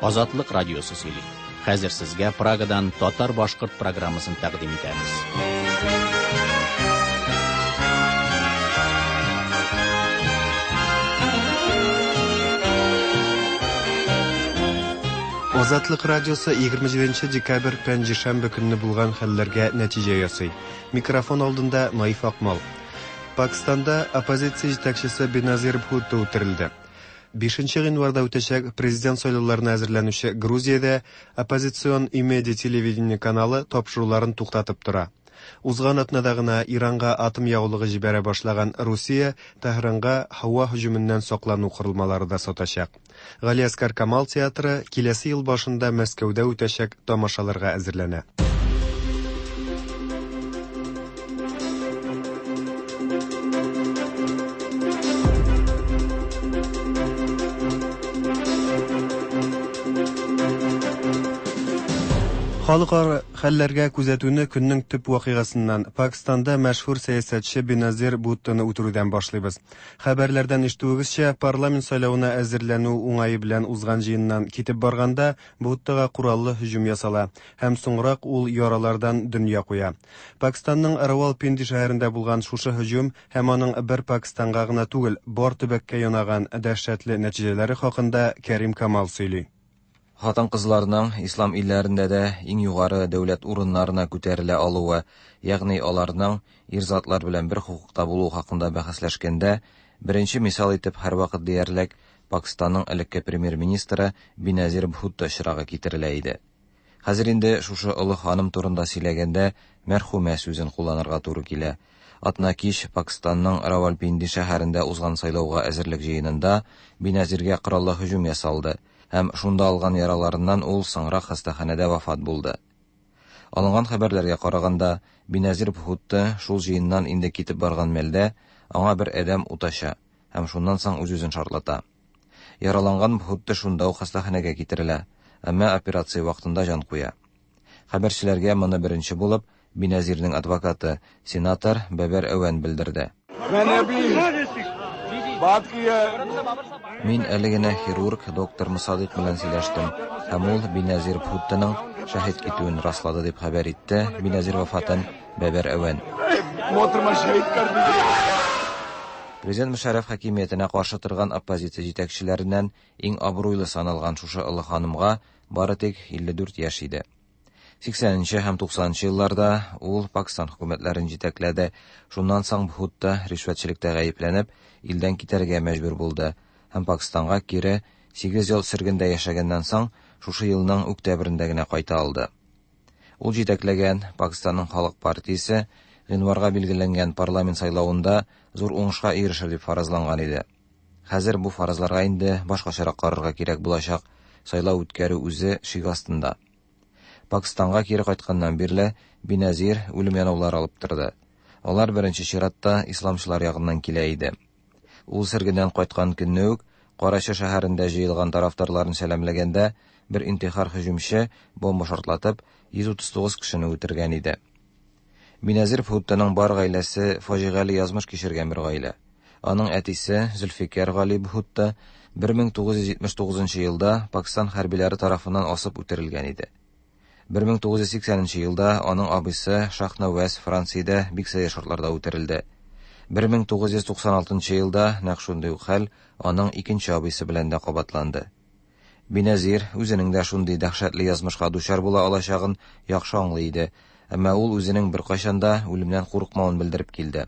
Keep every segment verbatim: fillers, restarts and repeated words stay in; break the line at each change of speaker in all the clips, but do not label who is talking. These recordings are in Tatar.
Азатлык радиосы сөйли. Хәзер сезгә Прагадан татар-башкорт программасын тәкъдим итәбез.
Азатлык радиосы егерме җиденче декабрь пәнҗешәмбе көнне булган хәлләргә нәтиҗә ясый. Микрофон алдында Наиф Акмал. Пакистанда оппозиция җитәкчесе Беназир Бхутто үтерелде. Бишенче гыйнварда үтәчәк президент сайлауларына әзерләнүче Грузиядә оппозицион Имеди телевидение каналы тапшыруларын туктатып тора. Узган атнада гына Иранга атом ягулыгы җибәрә башлаган Русия Тәһранга һава һөҗүменнән саклану корылмалары да сатачак. Галиәсгар Камал театры киләсе ел башында Мәскәүдә үтәчәк тамашаларга әзерләнә. Халыкара хәлләргә күзәтүне көннең төп вакыйгасыннан Пакистанда мәшһүр сәясәтче Беназир Бхуттоны үтерүдән башлыйбыз. Хәбәрләрдән ишетүегезчә, парламент сайлавына әзерләнү уңае белән узган җыеннан китеп барганда Бхуттога кораллы һөҗүм ясала һәм соңрак ул яралардан дөнья куя. Пакистанның Равалпинди шәһәрендә булган шушы һөҗүм һәм аның бер Пакистанга гына түгел, бар төбәккә янаган дәһшәтле нәтиҗәләре хакында Кәрим Камал сөйли.
Хатын-кызларның ислам илләрендә дә иң югары дәүләт урыннарына күтәрелә алуы, ягъни аларның ир затлар белән бер хокукта булуы хакында бәхәсләшкәндә, беренче мисал итеп һәрвакыт диярлек Пакистанның элекке премьер-министры Беназир Бхутто очрагы китерелә иде. Хәзер инде шушы олы ханым турында сөйләгәндә мәрхүмә сүзен кулланырга туры килә. Атна кич Пакистанның Равалпинди шәһәрендә узган сайлауга әзерлек җыенында Беназиргә кораллы һөҗүм ясалды. Һәм шунда алган яраларыннан ул соңрак хастаханәдә вафат булды. Алынган хәбәрләргә караганда, Беназир Бхутто шул җыеннан инде китеп барган мәлдә аңа бер адәм ут ача һәм шуннан соң үз-үзен шартлата. Яраланган Бхутто шунда ук хастаханәгә китерелә, әмма операция вакытында җан куя. Хәбәрчеләргә моны беренче булып Беназирның адвокаты, сенатор Бәбәр Әвән белдерде. Мин әле генә хирург доктор Мусадык белән сөйләштем, һәм ул Беназир Бхуттоның шәһит китүен раслады дип хәбәр итте Беназир вафатын Бәбәр Әвән. Президент Мушарраф хакимиятенә каршы торган оппозиция җитәкчеләреннән иң абруйлы саналган шушы олы ханымга бары тик илле дүрт яшь иде. Сиксәненче һәм туксанынчы елларда ул Пакистан хөкүмәтләрен җитәкләде. Шуннан соң Бхутто ришвәтчелектә гаепләнеп, илдән китәргә мәҗбүр булды һәм Пакистанга кире сигез ел сөргендә яшәгәннән соң шушы елның октябрендә генә кайта алды. Ул җитәкләгән Пакистанның Халык партиясе гыйнварга билгеләнгән парламент сайлавында зур уңышка ирешер дип фаразланган иде. Хәзер бу фаразларга инде башкачарак карарга кирәк булачак. Сайлау үткәрү үзе шик астында. Пакистанга кире кайтканнан бирле Беназир үлем янаулары алып торды. Алар беренче чиратта исламчылар ягыннан килә иде. Ул сөргеннән кайткан көнне үк Карачи шәһәрендә җыелган тарафдарларын сәламләгәндә бер интихар һөҗүмче бомба шартлатып йөз утыз тугыз кешене үтергән иде. Беназир Бхуттоның бар гаиләсе фаҗигале язмыш кичергән бер гаилә. Аның әтисе Зөлфикәр Гали Бхутто бер мең тугыз йөз җитмеш тугызынчы елда Пакистан хәрбиләре тарафыннан асып үтерелгән иде. Бер мең тугыз йөз сиксәненче елда аның абыйсы Шахнаваз Франциядә бик сәер шартларда үтерелде. Бер мең тугыз йөз туксан алтынчы елда нәкъ шундый ук хәл аның икенче абыйсы белән дә кабатланды. Беназир үзенең дә шундый дәһшәтле язмышка дучар була алачагын яхшы аңлый иде, әмма ул үзенең беркайчан да үлемнән курыкмавын белдереп килде.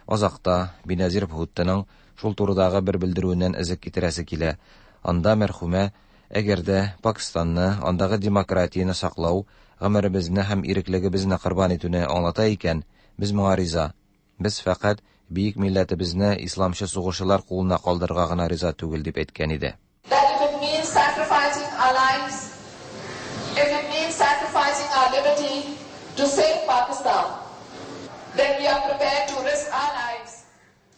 Азакта Беназир Бхуттоның шул турыдагы бер белдерүеннән эзек китерәсе килә. Анда мәрхүмә, әгәр дә Пакистанны, андагы демократияне саклау, гомеребезне һәм иреклегебезне корбан итүне аңлата икән, без моңа риза. Без фәкать бөек милләтебезне исламчы сугышчылар кулына калдырырга гына риза түгел дип әйткән иде.
That if it means sacrificing our lives, if it means sacrificing our liberty to save Pakistan, then we are prepared to risk our lives.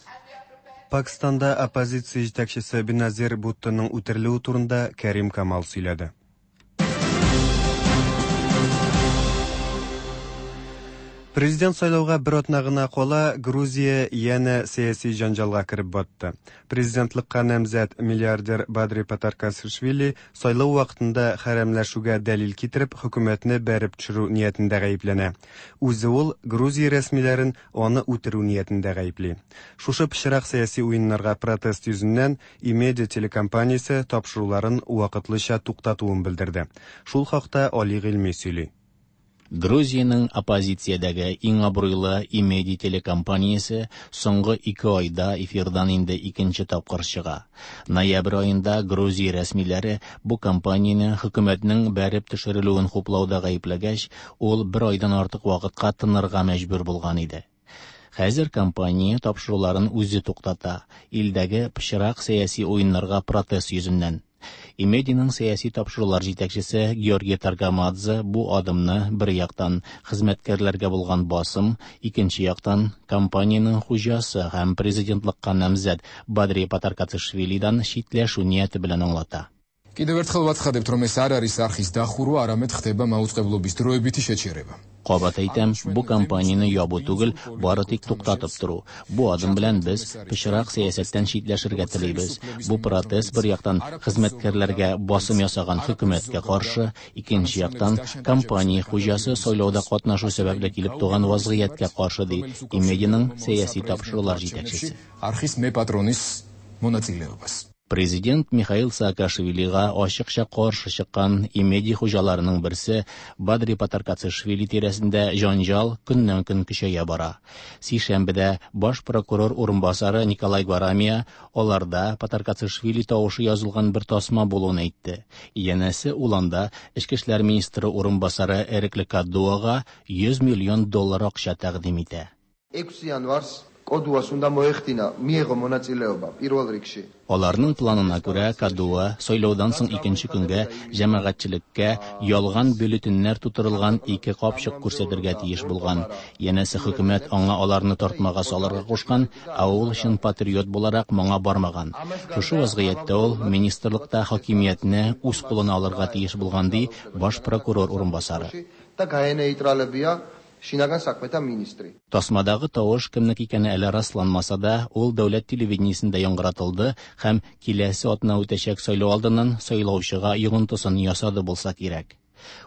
And we are prepared
Пакистанда оппозиция җитәкчесе Беназир Бхуттоның үтерелүе турында Кәрим Камал сөйләде. Президент сайлауга бер атна гына кала, Грузия янә сәяси җанҗалга кереп батты. Президентлыкка намзәт миллиардер Бадри Патаркацишвили сайлау вакытында хәрәмләшүгә дәлил китереп, хөкүмәтне бәреп төшерү ниятендә гаепләнә. Үзе ул Грузия рәсмиләрен аны үтерү ниятендә гаепли. Шушы пычрак сәяси уеннарга протест йөзеннән Имеди телекомпаниясе тапшыруларын вакытлыча туктатуын белдерде. Шул хакта Али Гыйльми сөйли.
Грузиянең оппозициядәге иң абруйлы Имеди телекомпаниясе соңгы ике айда эфирдан инде икенче тапкыр чыга. Ноябрь аенда Грузия рәсмиләре бу компанияне хөкүмәтнең бәреп төшерелүен хуплауда гаепләгәч, ул бер айдан артык вакытка тынырга мәҗбүр булган иде. Хәзер компания тапшыруларын үзе туктата, илдәге пычрак сәяси уеннарга протест йөзеннән. Имединың сәяси тапшырулар җитәкчесе Георгий Таргамадзе бу адымны бер яктан хезмәткәрләргә булган басым, икенче яктан компаниянең хуҗасы һәм президентлыкка намзәт Бадри Патаркацишвилидан читләшү нияте белән аңлата.
Კიდევ ერთხელ ვაცხადებთ, რომ ეს არ არის არხის დახურვა, არამედ ხდება მაუწყებლობის დროებითი შეჩერება.
Кабат әйтәм, бу компанияне ябу түгел, бары тик туктатып тору. Бу адым белән без пычрак сәясәттән читләшергә телибез. Бу протест бер яктан хезмәткәрләргә басым ясаган хөкүмәткә каршы, икенче яктан компания хуҗасы сайлауда катнашу сәбәпле килеп туган вазгыятькә каршы, ди Имединың сәяси тапшырулар җитәкчесе.
Არხის მეპატრონის მონაწილეობას.
Президент Михаил Саакашвилига ачыкча каршы чыккан Имеди хуҗаларының берсе Бадри Патаркацишвили тирәсендә җанҗал көннән-көн көчәя бара. Сишәмбедә баш прокурор урынбасары Николай Гварамия аларда Патаркацишвили тавышы язылган бер тасма булуын әйтте. Янәсе ул анда Эчке эшләр министры урынбасары Эрекле Кадуага йөз миллион доллар акча тәкъдим итә.
ექვსი იანვარს კოდუას უნდა მოეხდინა, მიეღო მონაწილეობა პირველ რიგში.
Аларның планына күрә, Кадуа сайлаудан соң икенче көнгә җәмәгатьчелеккә ялган бюллетеньнәр тутырылган ике капчык күрсәтергә тиеш булган. Янәсе хөкүмәт аңа аларны тартмага салырга кушкан, ә ул чын патриот буларак моңа бармаган. Шушы вазгыятьтә ул министрлыкта хакимиятне үз кулына алырга тиеш булган, ди баш прокурор урынбасары.
და გაენეიტრალებია შინაგან საქმეთა министრი.
Тасмадагы тавыш кемнеке икәне әле расланмаса да, ул дәүләт телевидениесендә яңгыратылды һәм киләсе атна үтәчәк сайлау алдыннан сайлаучыга йогынтысын ясады булса кирәк.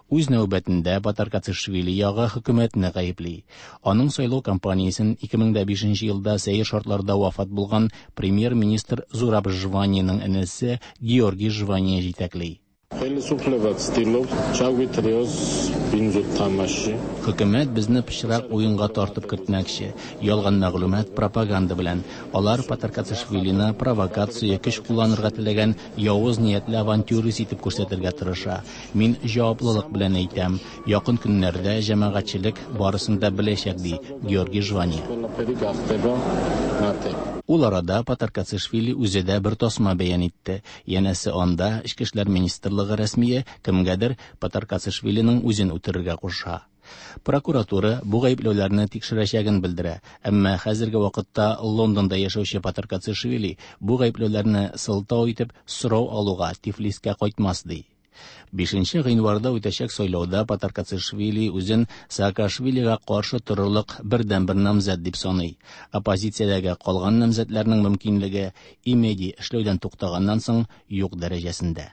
Үз нәүбәтендә Патаркацишвили ягы хөкүмәтне гаепли. Аның сайлау кампаниясен ике мең дә бишенче елда сәер шартларда вафат булган премьер-министр Зураб Жваниянең энесе Георгий Жвания җитәкли.
ხელისუფლება ცდილობს ჩაგვითრიოს ბინძურ თამაშში.
Хөкүмәт безне пычрак уенга тартып кертмәкче. Ялган мәгълүмат пропаганда белән. Алар Патаркацишвилины провокация, көч кулланырга теләгән явыз ниятле авантюрист итеп күрсәтергә тырыша. Мин җаваплылык белән әйтәм, якын көннәрдә җәмәгатьчелек барысын да беләчәк, ди Георгий Жвания.
ყველაფერი გახდება ნათელი.
Ул арада Патаркацишвили үзе дә бер тасма бәян итте. Янәсе анда Эчке эшләр министрлыгы рәсмие кемгәдер Патаркацишвилиның үзен үтерергә куша. Прокуратура бу гаепләүләрне тикшерәчәген белдерә, әмма хәзерге вакытта Лондонда яшәүче Патаркацишвили бу гаепләүләрне сылтау итеп сорау алуга Тифлискә кайтмас, ди. Бишенче гыйнварда үтәчәк сайлауда Патаркацишвили үзен Саакашвилига каршы торырлык бердәнбер намзәт дип саный. Оппозициядәге калган намзәтләрнең мөмкинлеге Имеди эшләүдән туктаганнан соң юк дәрәҗәсендә.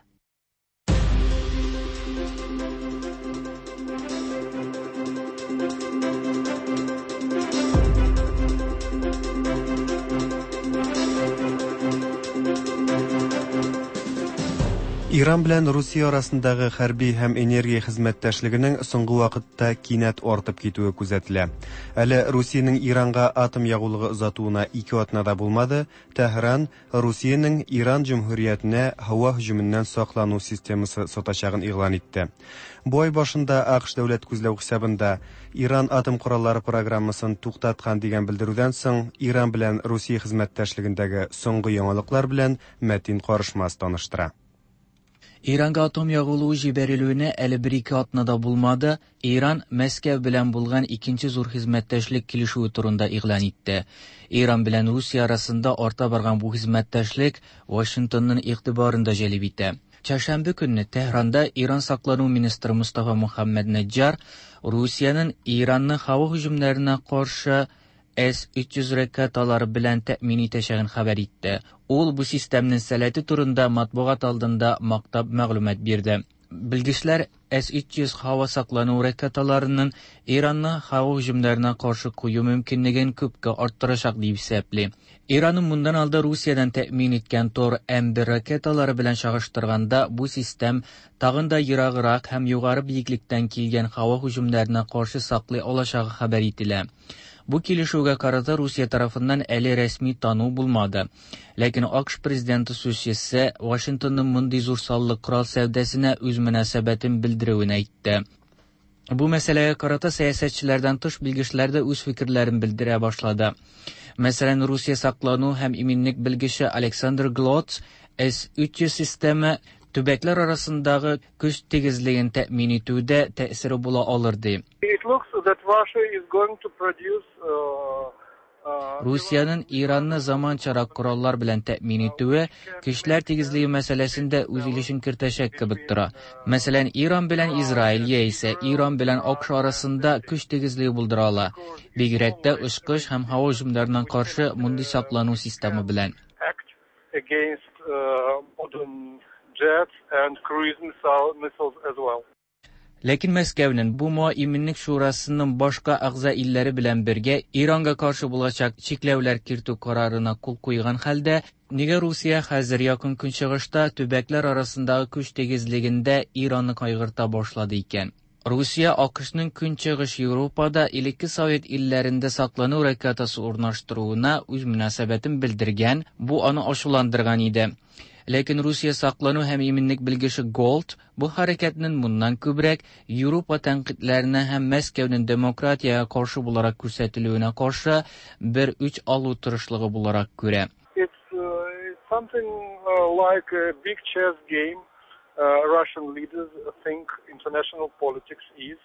Иран белән Русия арасындагы хәрби һәм энергия хезмәттәшлегенең соңгы вакытта кинәт артып китүе күзәтелә. Әле Русиянең Иранга атом ягулыгы озатуына ике атна да булмады, Тәһран Русиянең Иран җөмһүриятенә һава һөҗүменнән саклану системасы сатачагын игълан итте. Бу ай башында АКШ дәүләт күзләү хисабында Иран атом кораллары программасын туктаткан дигән белдерүдән соң Иран белән Русия хезмәттәшлегендәге соңгы яңалыклар белән Мәтин Карышмас таныштыра.
Иранга атом ягулыгы җибәрелүенә әле бер-ике атна да булмады, Иран Мәскәү белән булган икенче зур хезмәттәшлек килешүе турында игълан итте. Иран белән Русия арасында арта барган бу хезмәттәшлек Вашингтонның игътибарын да җәлеп итә. Чәршәмбе көнне Тәһранда Иран саклану министры Мустафа Мухаммад Наджар Rusiyanıñ İrannı hava hücumlarına qarşı S üç yüz raketaları bilan ta'min etəcəyini xəbər etdi. Ул bu sistemnin sələti turunda matbuat алдында maqtab məlumat berdi. Bilgiçler S üç yüz hava saqlanıw raketalarının İrannı hava hücumlarına qarşı qo'yu mümkünligini ko'pga orttiracaq deb hisoblaydi. İranın bundan aldı Rusiyadan təmin etgan Tor M bir raketaları bilan çağıştırganda bu sistem tag'in da yirog'roq ham yuqori biyiklikdan kelgan hava hücumlarına qarşı saqlay olacağı xabar etildi. Bu kelishuvga qarata Rusiya tarafından әлі rəsmi tanıv bulmadı. Lakin A Q Ş prezidenti sözçüsü Washingtonның bunday zo'r sonli qurol savdosina o'z munosabatini bildiruvini aytdi. Bu məsələyə qarata siyasətçilərdən tış bilgiçlər də öz fikirlərini bildirə başladı. Məsələn, Rusiya saqlanıv həm eminlik bilgiçi Alexander Glotz S üç yüz sistemi tübəklər arasındağı güc tegizligini təmin etüvdə təsiri bula alırdı.
It looks that Russia is going to produce, uh, uh,
Rusiyanın İrannı zamançarak qurallar bilan təmin etüvü güçlər tegizligi məsələsində öz ilişin kirtəşək kibik tura. Məsələn, İran bilan İsrail isə İran bilan A Q Ş arasında güc tegizligi buldura ala. Bigirək də uçquş həm hava hücumlarından qarşı mundi saqlanıv sistemi bilan.
Act against, uh, modern jets and cruise missile, missiles as well.
Lakin Moskvaning bu Eminlik Şurasının başqa a'zo illəri bilan birga İranga qarşı bo'lajaq cheklovlar kirituv qarorina qo'l qo'ygan holda nega Rusiya hozir Yaqin Kunchig'ishda tübəklər arasındakı kuch tegizligida İronni qayg'urta boshladi ekan? Rusiya A Q Shning Kunchig'ish Yevropada ilkki Sovet illarida saqlanuv raketasi o'rnashtiruvina o'z munosabatini bildirgan, bu uni ochuvlantirgan edi. Lakin Rusiya saqlanuv ham eminlik bilgishi Gold bu harakatning bundan ko'proq Yevropa tanqidlarini ham Moskvaning demokratiyaga qarshi bo'larak ko'rsatiluvina qarshi bir uch olib turishligi bo'larak ko'ra.
It's, uh, it's something, uh, like a big chess game. Uh, Russian leaders think international politics is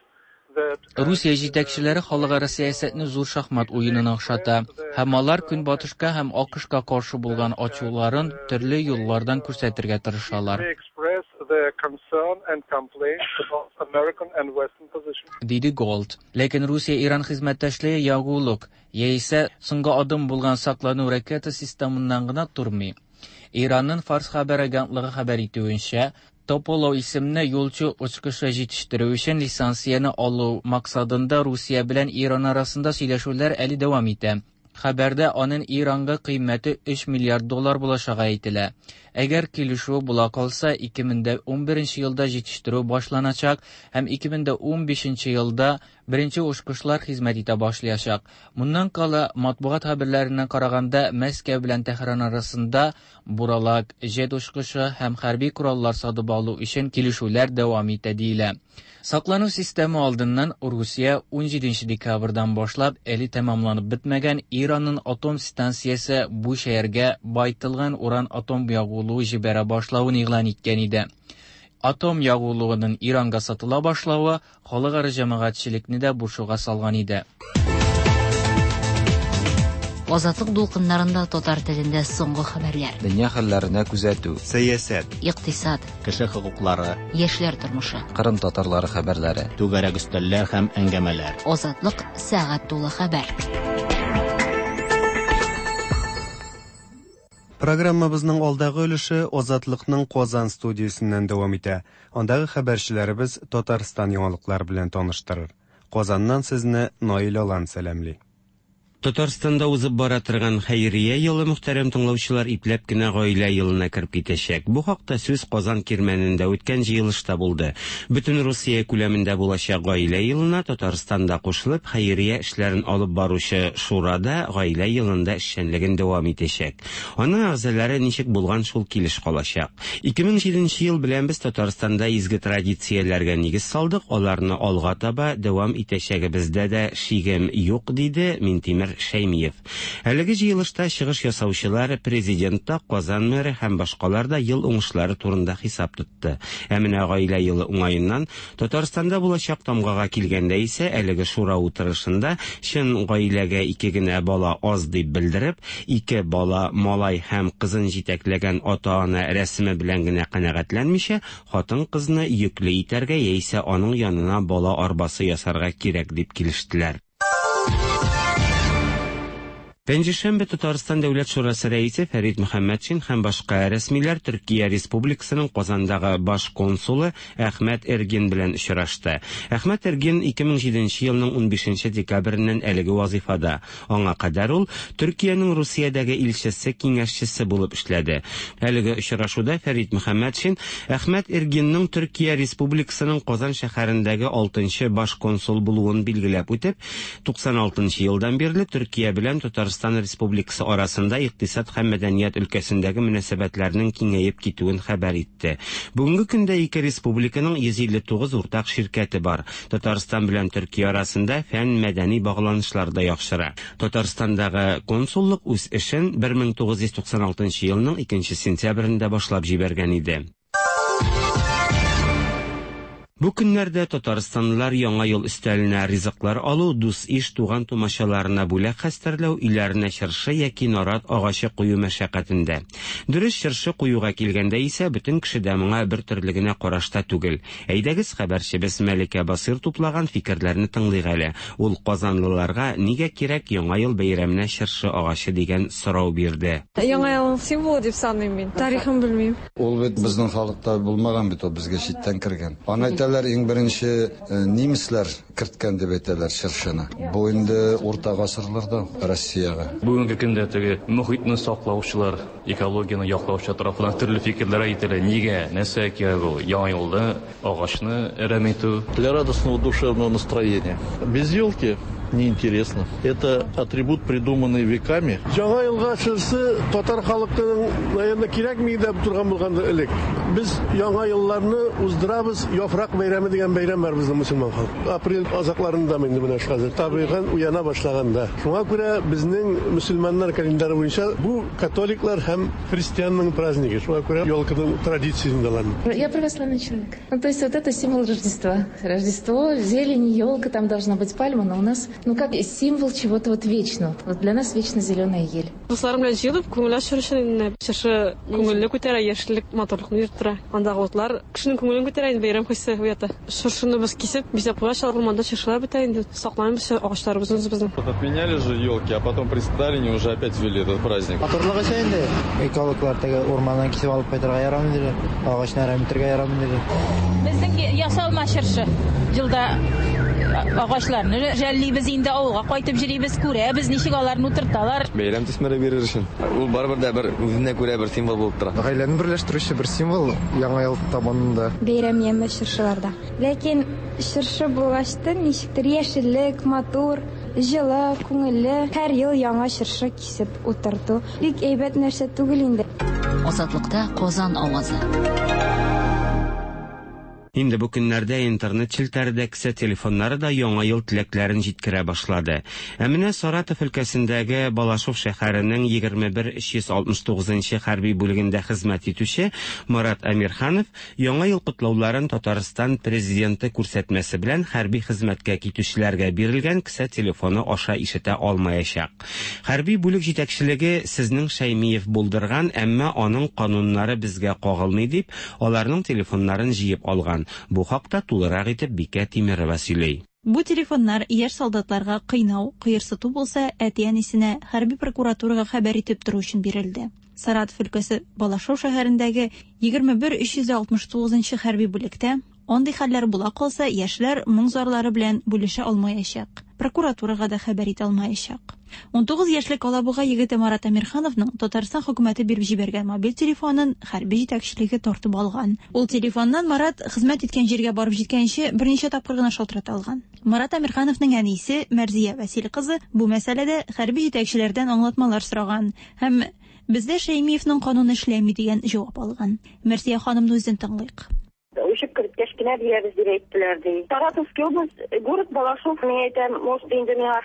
that, uh,
Rusiya жетәкчеләре халыкара сәясәтне зур шахмат уенына охшата. Һәм алар Көнбатышка һәм А Q Shga каршы булган ачуларын төрле юллардан күрсәтергә тырышалар.
They express their concern and complaints about American and Western position.
Диде Gold. Ләкин Русия-Иран хезмәттәшлеге ягулык яисә соңгы адым булган саклану ракета системыннан гына тормый. Иранның Фарс хәбәр агентлыгы хәбәр итүенчә, Тополов исемле юлчы очкышы җитештерү өчен лицензияне алу максатында Русия белән Иран арасында сөйләшүләр әле дәвам итә. Хәбәрдә аның Иранга кыйммәте өч миллиард доллар булачагы әйтелә. Әгәр килешү була калса, ике мең дә унберенче елда җитештерү башланачак һәм ике мең дә унбишенче елда беренче очкычлар хезмәт итә башлаячак. Моннан кала, матбугат хәбәрләренә караганда, Мәскәү белән Тәһран арасында буралак, җет очкычы һәм хәрби кораллар сатып алу өчен килешүләр дәвам итә диелә. Саклану системы алдыннан Русия унҗиденче декабрьдан башлап әле тәмамланып бетмәгән Иранның атом станциясе бу шәһәргә байтылган уран атом ягулыгы җибәрә башлавын игълан иткән иде. Атом ягулыгының Иранга сатыла башлавы халыкара җәмәгатьчелекне дә борчуга салган иде.
Азатлык дулкыннарында татар телендә соңгы хәбәрләр.
Дөнья хәлләренә күзәтү,
сәясәт,
икътисад,
кеше хокуклары,
яшьләр тормышы,
Кырым татарлары хәбәрләре,
түгәрәк өстәлләр һәм әңгәмәләр.
Азатлык сәгать тулы хәбәр.
Программабызның алдагы өлеше Азатлыкның Казан студиясеннән дәвам итә. Андагы хәбәрчеләребез Татарстан яңалыклары белән таныштырыр. Казаннан сезне Наил Алан сәламли.
Татарстанда узып бара торган хәйрия елы мөхтәрәм тыңлаучылар ипләп кенә гаилә елына кереп китәчәк. Бу хакта сүз Казан Кирмәнендә үткән җыелышта булды. Бөтен Русия күләмендә булачак гаилә елына Татарстанда кушылып хәйрия эшләрен алып баручы шурада гаилә елында эшчәнлеген дәвам итәчәк. Аның әгъзалары ничек булган шул килеш калачак. Ике мең җиденче ел белән без Татарстанда изге традицияләргә нигез салдык, аларны алга таба дәвам итәчәгебездә дә шигем юк, диде Минтимер Минтимер Шәймиев. Әлеге җыелышта чыгыш ясаучылар президент та, Казан мэры һәм башкалар да ел уңышлары турында хисап тотты. Ә менә гаилә елы уңаеннан Татарстанда булачак тамгага килгәндә исә әлеге шура утырышында чын гаиләгә ике генә бала аз дип белдереп, ике бала малай һәм кызын җитәкләгән ата-ана рәсеме белән генә канәгатьләнмичә, хатын-кызны йөкле итәргә яисә аның янына бала арбасы ясарга кирәк дип килештеләр. Пәнҗешәмбе Татарстан Дәүләт Шурасы рәисе Фәрит Мөхәммәтшин һәм башка рәсмиләр Төркия Республикасының Казандагы баш консулы Әхмәт Эргин белән очрашты. Әхмәт Эргин ике мең җиденче елның унбишенче декабреннән әлеге вазифада. Аңа кадәр ул Төркиянең Русиядәге илчесе киңәшчесе булып эшләде. Әлеге очрашуда Фәрит Мөхәммәтшин Әхмәт Эргинның Төркия Республикасының Казан шәһәрендәге алтынчы баш консул булуын билгеләп үтеп, туксан алтынчы елдан бирле Төркия белән Татарстан Республикасы арасында икътисад һәм мәдәният өлкәсендәге мөнәсәбәтләрнең киңәеп китүен хәбәр итте. Бүгенге көндә ике республиканың йөз илле тугыз уртак ширкәте бар. Татарстан белән Төркия арасында фән мәдәни багланышлар да яхшыра. Татарстандагы консуллык үз эшен бер мең тугыз йөз туксан алтынчы елның икенче сентябрендә башлап җибәргән иде. Бу көннәрдә татарстанлылар яңа ел өстәленә ризыклар алу, дус-иш туган тумачаларына бүләк хәстәрләү, өйләренә чыршы яки нарат агачы кую мәшәкатендә. Дөрес, чыршы куюга килгәндә исә бөтен кеше дә моңа бер төрле генә карашта түгел. Әйдәгез, хәбәрчебез Мәликә Басыр туплаган фикерләрне тыңлыйк әле. Ул казанлыларга нигә кирәк яңа ел бәйрәменә чыршы агачы дигән сорау бирде.
Яңа ел символы дип саныйм мин. Тарихын белмим.
Ул бит безнең халыкта булмаган бит, ул безгә читтән кергән. Аны әйтәләр, иң беренче немецлар керткән дип әйтәләр чыршыны. Бу инде урта гасырларда Россиягә.
Бүгенге көндә теге мохитне саклаучылар, экологияне яклаучылар тарафыннан төрле фикерләр әйтелә. Нигә, нәрсә кирәк ул? Яңа елда агачны әрәм итү.
Для радостного душевного настроения. Без елки неинтересно. Это атрибут, придуманный веками.
Яңа елга чыршы татар халкының, наверное, кирәкми дип торган булгандыр элек. Без яңа елларны уздырабыз, яфрак бәйрәме дигән бәйрәм бар безнең мөселман халкы. Апрель азакларында инде менә хәзер табигать уяна башлаганда. Шуңа күрә безнең мөселманнар календары буенча бу католиклар һәм христианның праздники. Шуңа күрә елканың традициясен алам.
Я православный человек. Ну, то есть вот это символ Рождества. Рождество, зелень, елка, там должна быть пальма, но у нас, ну, как символ чего-то вот вечного. Вот для нас вечно зеленая ель.
Дусларым белән җыелып, күңел ачу өчен чыршы күңелне күтәрә, яшеллек матурлыкны йөрттерә. Андагы утлар кешенең күңелен күтәрә, инде бәйрәм хисе уята. Чыршыны без кисеп, бизәп куя, урманда чыршылар бетә инде. Саклаймыз агачларыбызны үзебезнең.
Вот отменяли же елки, а потом при Сталине уже опять ввели этот праздник.
Матурлыгы өчен инде. Экологлар теге урманнан кисеп алып кайтырга ярамый диде. Агачны әрәм итәргә ярамый диде.
Безнең ясалма чыршы елда агачларны жәллибез инде, авылга кайтып йөрибез, күрәбез, ничек аларны утырталар.
Бәйрәм төсмере бирер өчен. Ул барыбер дә бер үзенә күрә бер символ булып тора.
Гаиләне берләштерүче бер символ яңа ел табынында.
Бәйрәм яме чыршыларда. Ләкин чыршы булгачтын ничектер яшеллек, матур, җылы, күңелле. Һәр ел яңа чыршы кисеп утырту бик әйбәт нәрсә түгел инде.
Азатлыкта Казан авазы.
Инде бу көннәрдә интернет челтәре дә, кесә телефоннары да яңа ел теләкләрен җиткерә башлады. Ә менә Саратов өлкәсендәге Балашов шәһәренең егерме бер өч йөз алтмыш тугызынчы хәрби бүлегендә хезмәт итүче Марат Әмирханов яңа ел котлауларын Татарстан президенты күрсәтмәсе белән хәрби хезмәткә китүчеләргә бирелгән кесә телефоны аша ишетә алмаячак. Хәрби бүлек җитәкчелеге сезнең Шәймиев булдырган, әмма аның кануннары безгә кагылмый дип, аларның телефоннарын җыеп алган. Бу хакта тулырак итеп Бикә Тимирова сөйли.
Бу телефоннар яшь солдатларга кыйнау, кыерсыту булса, әти-әнисенә хәрби прокуратурага хәбәр итеп тору өчен бирелде. Саратов өлкәсе Балашов шәһәрендәге егерме бер өч йөз алтмыш тугызынчы хәрби бүлектә андый хәлләр була калса, яшьләр моң зарлары белән бүлешә алмаячак. Прокуратурага да хәбәр итә алмаячак. Унтугыз яшьлек Алабуга егете Марат Әмирхановның Татарстан хөкүмәте биреп җибәргән мобиль телефонын хәрби җитәкчелеге тартып алган. Ул телефоннан Марат хезмәт иткән җиргә барып җиткәнче берничә тапкыр гына шалтырата алган. Марат Әмирхановның әнисе Мәрзия Вәсил кызы бу мәсьәләдә хәрби җитәкчеләрдән аңлатмалар сораган һәм бездә Шәймиевның кануны эшләми дигән җавап алган. Мәрзия ханымны үзен тыңлыйк.
Күчеп керткәч кенә бирәбез дип әйттеләр ди. Саратовский область, город Балашов, мин әйтәм, может инде миңа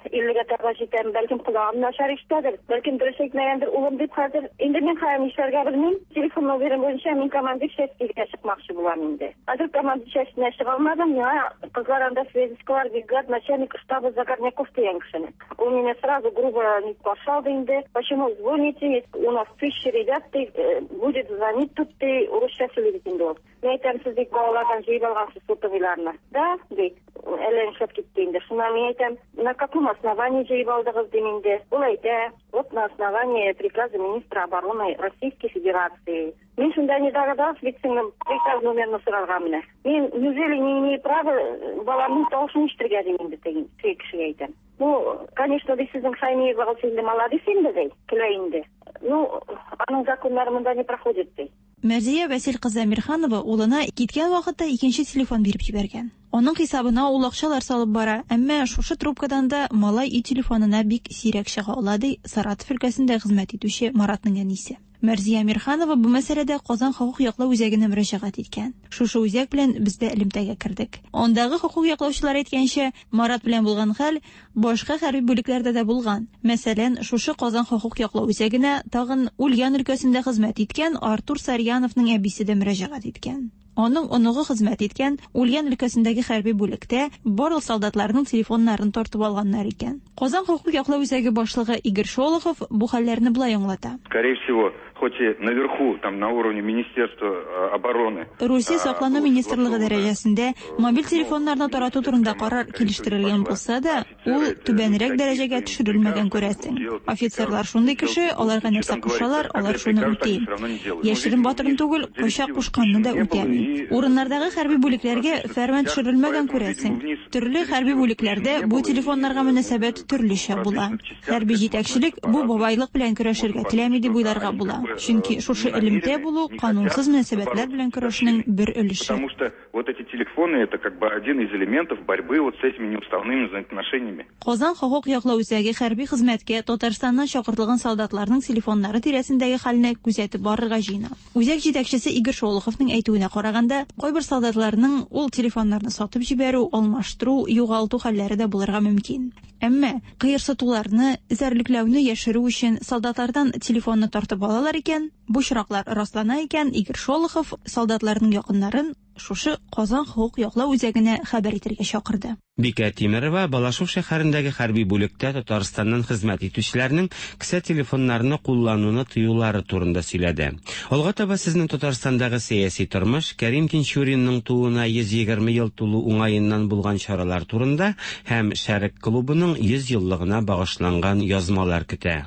иллегә таба җитәм, бәлкем колагым начар ишетәдер, бәлкем дөрес әйтмәгәндер улым дип хәзер. Инде мин хәзер нишләргә белмим. Телефон номерым буенча мин командир частька чыкмакчы булам инде. Хәзер командир частенә чыга алмадым, миңа кызлар анда связисткалар бригад начальник штаба Загорняков дигән кешене. Ул мине сразу грубо не каршы алды инде. Почему звоните? У нас тысячи ребят, ты будет звонить тут ты урысча сөйли бит инде ул. Мин әйтәм, сез бит балалардан җыеп алгансыз сотовыйларны. Да, ди. Әллә нишләп китте инде. Шуннан мин әйтәм, на каком основании җыеп алдыгыз дим инде. Ул әйтә, вот на основании приказа министра обороны Российской Федерации. Мин шунда не догадалась, бит сеңлем приказ номерын сорарга менә. Мин неужели не имею права баламның тавышын ишетергә дим инде теге кешегә әйтәм. Ну, конечно, ди сезнең Шаймиевагыз инде молодец инде ди, көлә инде. Ну, аның законнары монда не проходит ди.
Мәрзия Вәсил кызы Әмирханова улына киткән вакытта икенче телефон биреп җибәргән. Аның хисабына ул акчалар салып бара, әмма шушы трубкадан да малай өй телефонына бик сирәк чыга ала, ди Саратов өлкәсендә хезмәт итүче Маратның әнисе. Мәрзия Әмирханова бу мәсьәләдә Казан хокук яклау үзәгенә мөрәҗәгать иткән. Шушы үзәк белән без дә элемтәгә кердек. Андагы хокук яклаучылар әйткәнчә, Марат белән булган хәл башка хәрби бүлекләрдә дә булган. Мәсәлән, шушы Казан хокук яклау үзәгенә тагын Ульян өлкәсендә хезмәт иткән Артур Сарьяновның әбисе дә мөрәҗәгать иткән. Аның оныгы хезмәт иткән Ульян өлкәсендәге хәрби бүлектә барлык солдатларның телефоннарын тартып алганнар икән. Казан хокук яклау үзәге башлыгы Игорь Шолохов бу хәлләрне болай аңлата.
Скорее всего, хоть и наверху, там на уровне Министерства обороны.
Русия саклану министрлыгы дәрәҗәсендә мобиль телефоннарны тарату турында карар килештерелгән булса да, ул түбәнрәк дәрәҗәгә төшерелмәгән күрәсең. Офицерлар шундый кеше, аларга нәрсә кушалар, алар шуны үти. Яшерен батырын түгел, кайчак кушканны да үтәми. Урыннардагы хәрби бүлекләргә фәрман төшерелмәгән күрәсең. Төрле хәрби бүлекләрдә бу телефоннарга мөнәсәбәт төрлечә була. Хәрби җитәкчелек бу бабайлык белән көрәшергә теләми дип уйларга була. Чөнки шушы элемтә булу канунсыз мөнәсәбәтләр белән көрәшнең бер өлеше.
Потому что вот эти телефоны это как бы один из элементов борьбы вот с этими неуставными взаимоотношениями.
Казан хокук яклау үзәге хәрби хезмәткә Татарстаннан чакыртылган солдатларның телефоннары тирәсендәге хәлне күзәтеп барырга җыена. Үзәк җитәкчесе Игорь Шолоховның әйтүенә караганда, кайбер солдатларның ул телефоннарны сатып җибәрү, алмаштыру, югалту хәлләре дә булырга мөмкин. Әмма кыерсытуларны, эзәрлекләүне яшерү өчен солдатлардан телефонны тартып алалар икән, бу очраклар раслана икән, Игорь Шолохов солдатларның якыннарын шушы Казан хокук яклау үзәгенә хәбәр итәргә чакырды.
Бикә Тимерова Балашов шәһәрендәге хәрби бүлектә Татарстаннан хезмәт итүчеләрнең кесә телефоннарны куллануны тыюлары турында сөйләде. Алга таба сезнең Татарстандагы сәяси тормыш, Кәрим Тинчуринның тууына йөз егерме ел тулу уңаеннан булган чаралар турында һәм Шәрык клубының йөз еллыгына багышланган язмалар көтә.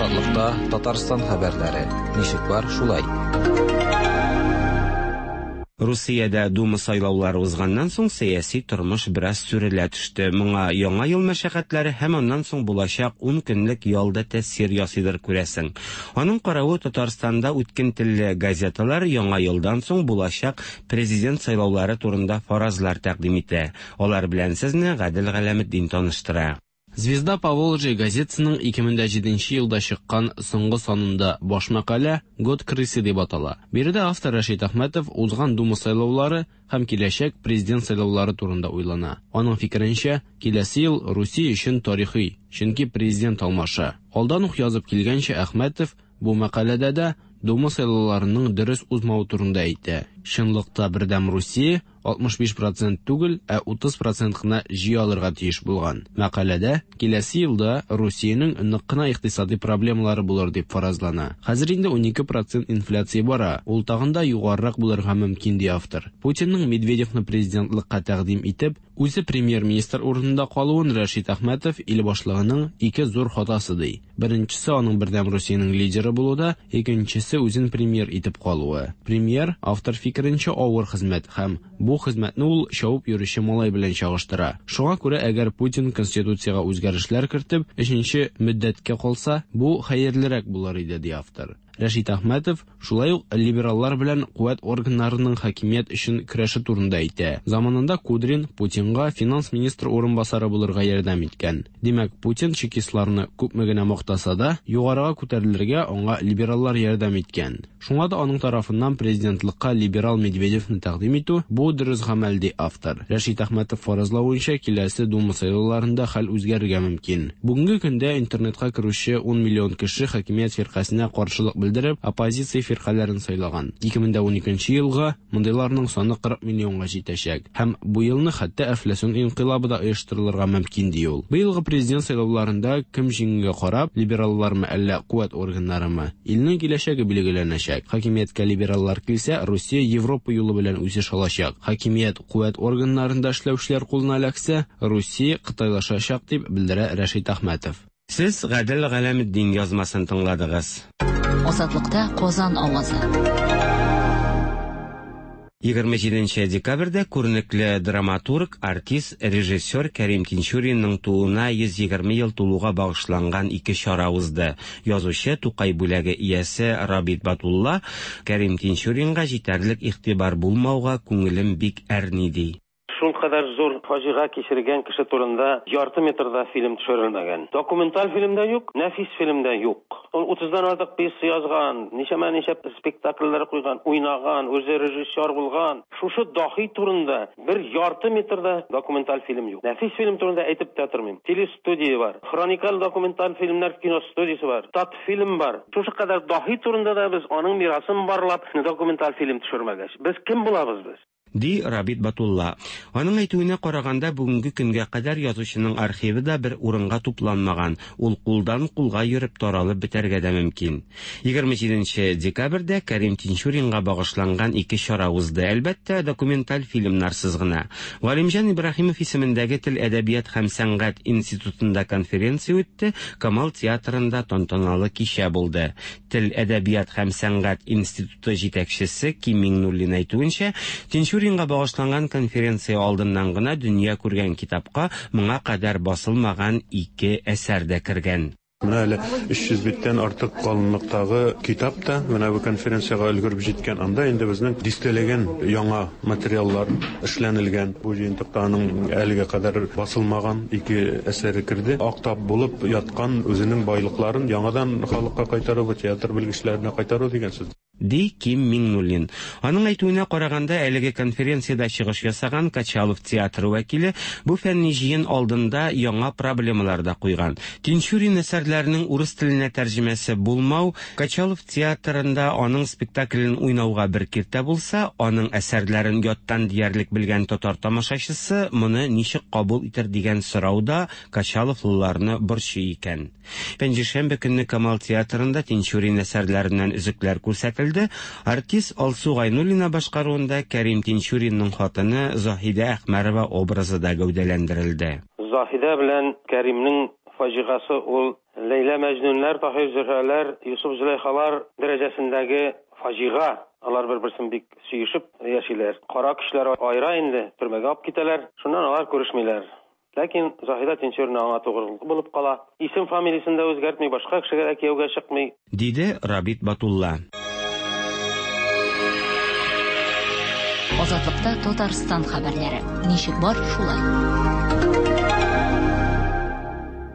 Азатлыкта Татарстан хәбәрләре. Ничек бар, шулай.
Русиядә Дума сайлаулары узганнан соң сәяси тормыш бераз сүрелә төште. Моңа яңа ел мәшәкатьләре һәм аннан соң булачак ун көнлек ялда тәэсир ясыйдыр күрәсең. Аның каравы Татарстанда үткен телле газеталар яңа елдан соң булачак президент сайлаулары турында фаразлар тәкъдим итә. Алар белән сезне Гадел Галәметдин таныштыра.
Звезда Поволжья газетасының ике мең җиденче елда чыккан соңгы санында баш мәкалә «Год крысы» дип атала. Биредә автор Рәшит Әхмәтов узган Дума сайлаулары һәм киләчәк президент сайлаулары турында уйлана. Аның фикеренчә, киләсе ел Русия өчен тарихи, чөнки президент алмаша. Алдан ук язып килгәнчә, Әхмәтов бу мәкаләдә дә Дума сайлауларының дөрес узмавы турында әйтә. Чынлыкта Бердәм Русия алтмыш биш процент түгел, ә утыз процент кына җыя алырга тиеш булган. Мәкаләдә киләсе елда Русиянең нык кына икътисади проблемалары булыр дип фаразлана. Хәзер инде унике процент инфляция бара, ул тагын да югарырак булырга мөмкин ди автор. Путинның Медведевны президентлыкка тәкъдим итеп, үзе премьер-министр урынында калуын Рәшит Әхмәтов ил башлыгының ике зур хатасы ди. Беренчесе аның Бердәм Русиянең лидеры булуда, икенчесе үзен премьер итеп калуы. Премьер автор фикеренчә авыр хезмәт һәм бу хезмәтне ул чабып йөрүче малай белән чагыштыра. Шуңа күрә әгәр Путин конституциягә үзгәрешләр кертеп, өченче мөддәткә калса, бу хәерлерәк булыр иде ди автор. Рәшит Әхмәтов шулай ук либераллар белән куәт органнарының хакимият өчен көрәше турында әйтә. Заманында Кудрин Путинга финанс министры урынбасары булырга ярдәм иткән. Димәк, Путин чекистларны күпме генә мактаса да, югарыга күтәрелергә аңа либераллар ярдәм иткән. Шуңа да аның тарафыннан президентлыкка либерал Медведевны тәкъдим итү бу дөрес гамәл, ди автор. Рәшит Әхмәтов фаразлавынча, киләсе Дума сайлауларында хәл үзгәрергә мөмкин. Бүгенге көндә интернетка керүче ун миллион кеше хакимият фиркасенә каршылык белдереп, оппозиция фиркаләрен сайлаган. ике мең дә уникенче елга мондыйларның саны кырык миллионга җитәчәк. Һәм бу елны хәтта әфләсун инкыйлабы да оештырылырга мөмкин, ди ул. Быелгы президент сайлауларында кем җиңүгә карап, либераллармы әллә куәт органнарымы, илнең киләчәге билгеләнәчәк. Хакимияткә либераллар килсә, Русия Европа юлы белән үсеш алачак. Хакимият куәт органнарында эшләүчеләр кулына эләксә, Русия кытайлашачак, дип белдерә Рәшит Әхмәтов.
Сез Гадел Галәметдин язмасын тыңладыгыз.
Азатлыкта Казан авазы.
Егерме җиденче декабрьдә күренекле драматург, артист, режиссер Кәрим Тинчуринның тууына йөз егерме ел тулуга багышланган ике чара узды. Язучы Тукай бүләге иясе Рабит Батулла Кәрим Тинчуринга җитәрлек игътибар булмауга күңелем бик әрни, ди.
Шул кадәр зур фаҗига кичергән кеше турында ярты метрда фильм төшерелмәгән. Документаль фильм дә юк, нәфис фильм дә юк. Ул утыздан артык пьеса язган, ничәмә-ничә спектакльләр куйган, уйнаган, үзе режиссер булган. Шушы дахи турында бер ярты метрда документаль фильм юк. Нәфис фильм турында әйтеп тә тормыйм. Телестудия бар, хроникаль документаль фильмнар киностудиясе бар, татфильм бар. Шушы кадәр дахи турында да без аның мирасын барлап документаль фильм төшермәгәч, без кем булабыз без?
Ди Рабит Батулла. Аның әйтүенә караганда, бүгенге көнгә кадәр язучының архивы да бер урынга тупланмаган. Ул кулдан кулга йөреп таралып бетәргә дә мөмкин. Егерме җиденче декабрьдә Кәрим Тинчуринга багышланган ике чара узды. Әлбәттә, документаль фильмнарсыз гына. Галимҗан Ибраһимов исемендәге Тел, әдәбият һәм сәнгать институтында конференция үтте, Камал театрында тантаналы кичә булды. Тел, әдәбият һәм сәнгать институты җитәкчесе Ким Миңнуллин әйтүенчә, Тинчурин Тинчуринга багышланган конференция алдыннан гына дөнья күргән китапка моңа кадәр басылмаган ике әсәр дә кергән.
Менә әле өч йөз биттән артык калынлыктагы китап та менә бу конференциягә өлгереп җиткән. Анда инде безнең дистәләгән яңа материаллар эшләнелгән. Бу җыентыкта аның әлегә кадәр басылмаган ике әсәре керде. Актап булып яткан үзенең байлыкларын яңадан халыкка кайтару, театр белгечләренә кайтару дигән сүз.
Ди Ким Миңнуллин. Аның әйтүенә караганда, әлеге конференциядә чыгыш ясаган Качалов театры вәкиле бу фәнни җыен алдында яңа проблемалар да куйган. Тинчурин әсәрләренең урыс теленә тәрҗемәсе булмау Качалов театрында аның спектаклен уйнауга бер киртә булса, аның әсәрләрен яттан диярлек белгән татар тамашачысы моны ничек кабул итер дигән сорау да Качаловлыларны борчый икән. Пәнҗешәмбе көнне Камал театрында Тинчурин әсәрләреннән өзекләр күрсәтелде. Артист Алсу Гайнуллина башкаруында Кәрим Тинчуринның хатыны Заһидә Әхмәрова образы да гәүдәләндерелде.
Заһидә белән Кәримнең фаҗигасы ул Ләйлә Мәҗнүннәр, Таһир Зөһрәләр, Юсуф Зөләйхалар дәрәҗәсендәге фаҗига. Алар бер-берсен бик сөешеп яшиләр. Кара көчләр айра инде, төрмәгә алып китәләр. Шуннан алар күрешмиләр. Ләкин Заһидә Тинчурина аңа тугры булып кала. Исем фамилиясен дә үзгәртми, башка кешегә дә кияүгә чыкмый,
диде Рабит Батулла.
Азатлыкта Татарстан хәбәрләре. Ничек бар, шулай.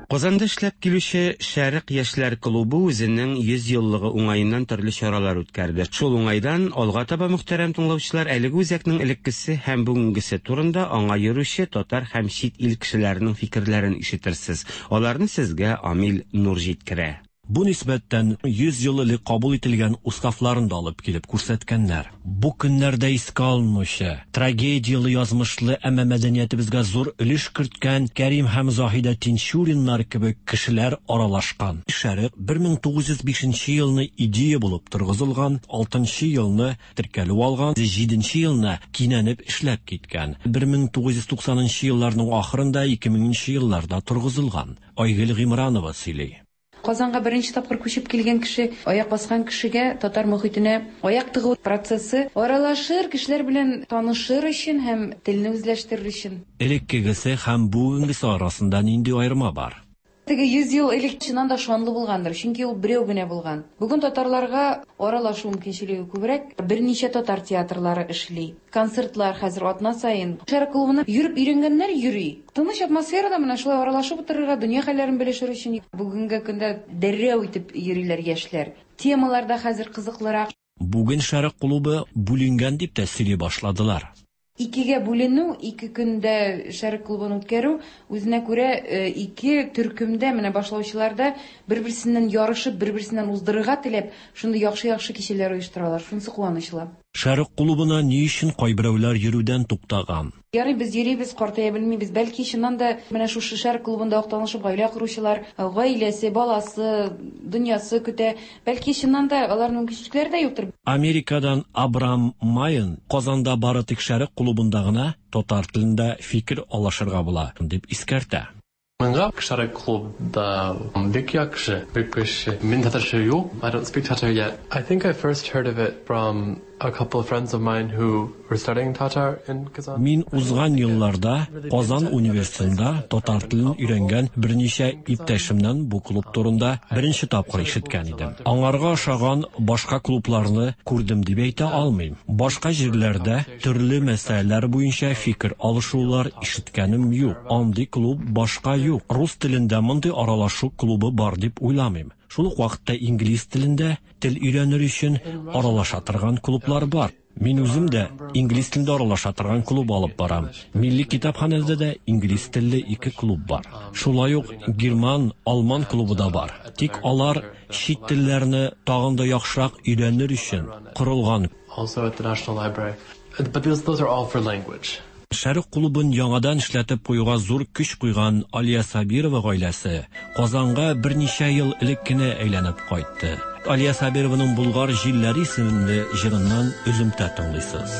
Казанда эшләп килүче Шәрык яшьләр клубы үзенең йөз еллыгы уңаеннан төрле чаралар үткәрде. Шул уңайдан алга таба мөхтәрәм тыңлаучылар әлеге үзәкнең элеккесе һәм бүгенгесе турында аңа йөрүче татар һәм чит ил кешеләренең фикерләрен ишетерсез. Аларны сезгә Амил Нур җиткерә.
Бу нисбәттән йөз ел элек кабул ителгән уставларын да алып килеп күрсәткәннәр. Бу көннәрдә искә алынучы, трагедияле язмышлы, әмма мәдәниятебезгә зур өлеш керткән Кәрим һәм Заһидә Тинчуриннар кебек кешеләр аралашкан. Шәрык бер мең тугыз йөз бишенче елны идея булып торгызылган, алтынчы елны теркәлү алган, җиденче елны кинәнеп эшләп киткән. бер мең тугыз йөз туксанынчы елларның ахырында ике меңенче елларда торгызылган. Айгөл Гыймранова сөйли.
Казанга беренче тапкыр күчеп килгән кеше, аяк баскан кешегә татар мохитенә аяк тыгу процессы аралашыр, кешеләр белән танышыр өчен һәм телне үзләштерер өчен.
Элеккегесе һәм бүгенгесе арасында нинди аерма бар?
Теге йөз ел элек чыннан да шанлы булгандыр, чөнки ул берәү генә булган. Бүген татарларга аралашу мөмкинчелеге күбрәк, берничә татар театрлары эшли. Концертлар хәзер атна саен. Шәрык клубына йөреп өйрәнгәннәр йөри. Тыныч атмосферада менә шулай аралашып утырырга, дөнья хәлләрен белешер өчен бүгенге көндә дәррәү итеп йөриләр яшьләр. Темалар да хәзер кызыклырак.
Бүген Шәрык клубы бүленгән дип тә сөйли башладылар.
Икегә бүленү, ике көндә Шәрык клубын үткәрү, үзенә күрә ике төркемдә менә башлаучыларда бер-берсеннән ярышып, бер-берсеннән уздырырга теләп, шундый яхшы-яхшы кичәләр оештыралар. Шунысы куанычлы.
Шәрык клубына ни өчен кайберәүләр йөрүдән туктаган?
Ярый, без йөрибез, картая белмибез. Бәлки чыннан да менә шушы Шәрык клубында ук танышып гаилә коручылар, гаиләсе, баласы, дөньясы көтә. Бәлки чыннан да аларның мөмкинчелекләре дә юктыр.
Америкадан Абрам Майен Казанда бары тик Шәрык клубында гына татар телендә фикер алышырга була дип искәртә.
Миңа Шәрык клубда бик яхшы, бик көчле. Мин татарча юк, I don't speak Tatar yet. I think I first heard of it from a couple of friends of mine who were studying Tatar in Kazan.
Мин узган елларда Казан университетында татар телен өйрәнгән берничә иптәшемнән бу клуб турында беренче тапкыр ишеткән идем. Аңарга ошаган башка клубларны күрдем дип әйтә алмыйм. Башка җирләрдә төрле мәсьәләләр буенча фикер алышулар ишеткәнем юк. Андый клуб башка юк. Рус телендә мондый аралашу клубы бар дип уйламыйм. Шул ук вакытта инглиз телендә тел өйрәнер өчен аралаша торган клублар бар. Мин үзем дә инглиз телендә аралаша торган клуб алып барам. Милли китапханәдә дә инглиз телле ике клуб бар. Шулай ук герман, алман клубы да бар. Тик алар чит телләрне тагын да яхшырак өйрәнер өчен корылган.
Also at the National Library. But those, those are all for language.
Шәрык клубын яңадан эшләтеп куюга зур көч куйган Алия Сабирова гаиләсе Казанга берничә ел элек кенә әйләнеп кайтты. Алия Сабированың Булгар җилләре исемле җырыннан өземтә тыңлыйсыз.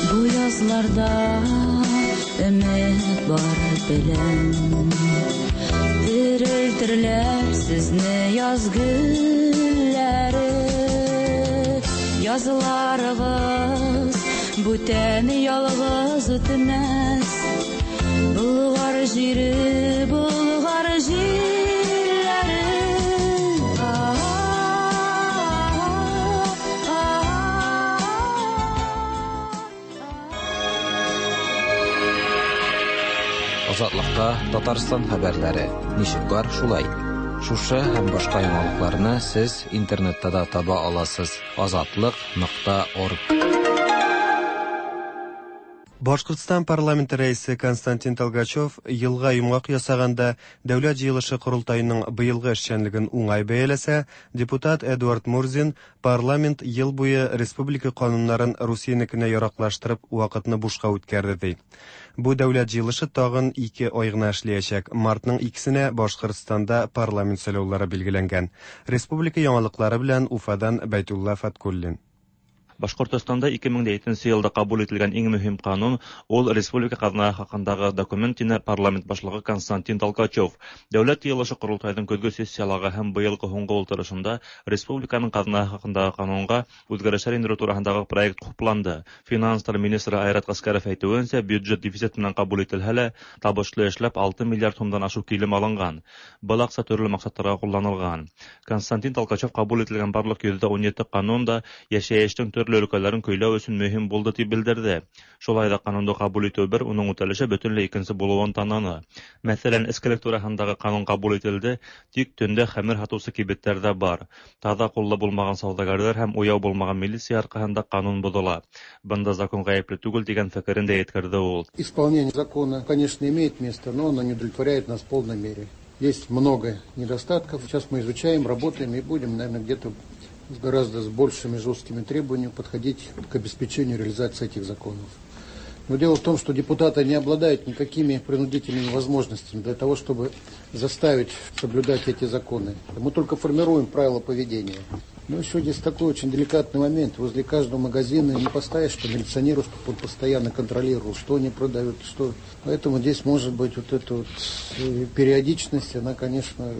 Бу язларда өмет бар беләм, терелтерләр сезне яз гөлләре, язларыгыз бүтән ялгыз үтмәс. Болгар җире, Болгар җилләре.
Азатлыкта Татарстан хәбәрләре ничек бар шулай. Шушы һәм башка яңалыкларны сез интернетта да таба аласыз. азатлык нокта орг.
Башкортстан парламенты рәисе Константин Толгачев елга йомгак ясаганда дәүләт җыелышы корылтаеның быелгы эшчәнлеген уңай бәяләсә, депутат Эдуард Мурзин парламент ел буе республика кануннарын Русиянекенә яраклаштырып вакытны бушка үткәрде ди. Бу дәүләт җыелышы тагын ике ай гына эшләячәк. Мартның икесенә Башкортстанда парламент сайлаулары билгеләнгән. Республика яңалыклары белән Уфадан Бәйтулла Фаткуллин.
Башкортостанда ике мең җиденче елда кабул ителгән иң мөһим канун ул республика казнасы хакындагы документ тине парламент башлыгы Константин Толкачев. Дәүләт җыелышы корылтайның көзге сессиялары һәм быелгы һуңгы ултырышында республиканың казнасы хакындагы канунга үзгәрешләр индерү турындагы проект хупланды. Финанслар министры Айрат Аскаров әйтүенчә, бюджет дефицит менән кабул ителһә лә, табышлы эшләп алты миллиард сумдан ашык килем алынган. Был акча төрле максатларга кулланылган. Константин Толкачев кабул ителгән барлык йөз ун җиде канун да яшәештең төрле өлкәләрен көйләү өчен мөһим булды дип белдерде. Шулай да канунды кабул итү бер, уның үтәлеше бөтенләй икенче булуын таныны. Мәсәлән, эскелек турындагы канун кабул ителде, тик төндә хәмер һатучы кибетләр дә бар. Таза куллы булмаган сәүдәгәрләр һәм уяу булмаган милиция аркасында канун бозыла. Бында закон гаепле түгел дигән фикерен дә әйткерде ул.
Исполнение закона, конечно, имеет место, но оно не удовлетворяет нас в полной мере. Есть много недостатков. Сейчас мы изучаем, работаем и будем, наверное, где-то с гораздо с большими жесткими требованиями подходить к обеспечению реализации этих законов. Но дело в том, что депутаты не обладают никакими принудительными возможностями для того, чтобы заставить соблюдать эти законы. Мы только формируем правила поведения. Но еще здесь такой очень деликатный момент. Возле каждого магазина не поставишь по милиционеру, чтобы он постоянно контролировал, что они продают, что. Поэтому здесь может быть вот эта вот периодичность, она, конечно,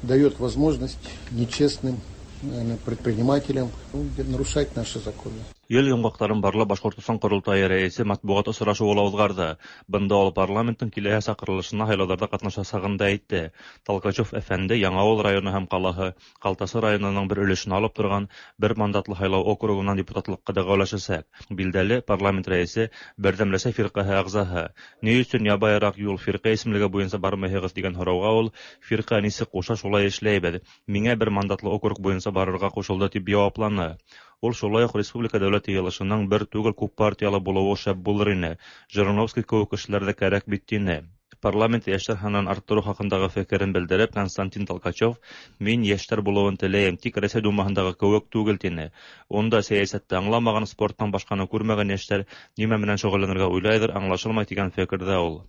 дает возможность нечестным, наверное, предпринимателям, ну, нарушать наши законы.
Ел йомғаҡтарын барлап Башҡортостан ҡоролтайы рәйесе матбуғат осрашыуы ла уҙғарҙы. Бында ул парламенттың киләһе саҡырылышына һайлауҙарҙа ҡатнашасағын да әйтте. Толкачев әфәнде Яңауыл районы һәм ҡалаһы Ҡалтасы районының бер өлөшөн алып торған бер мандатлы һайлау округынан депутатлыҡҡа дәғүәләшәсәк. Билдәле, парламент рәйесе Берҙәм Рәсәй фирҡәһе ағзаһы. Ни өсөн ябайыраҡ юл фирҡә исемлеге буйынса бармайһығыҙ тигән һорауға ул фирҡә нисек ҡуша шулай эшләйбеҙ. Миңә бер мандатлы округ буйынса барырға ҡушылды тип яуапланы. Ул шулай уҡ республика дәүләт йыйылышының бер түгел күп партиялы булыуы шәп булыр ине. Жириновский кеүек кешеләр ҙә кәрәк бит тине. Парламент йәштәр һанын арттырыу хаҡындағы фекерен белдереп, Константин Толкачев мин йәштәр булыуын теләйем, тик Рәсәй Думаһындағы кеүек түгел тине. Унда сәйәсәтте аңламаған, спорттан башҡаны күрмәгән йәштәр нимә менән шөғөлләнергә уйлайҙыр, аңлашылмай тигән фекерҙә ул.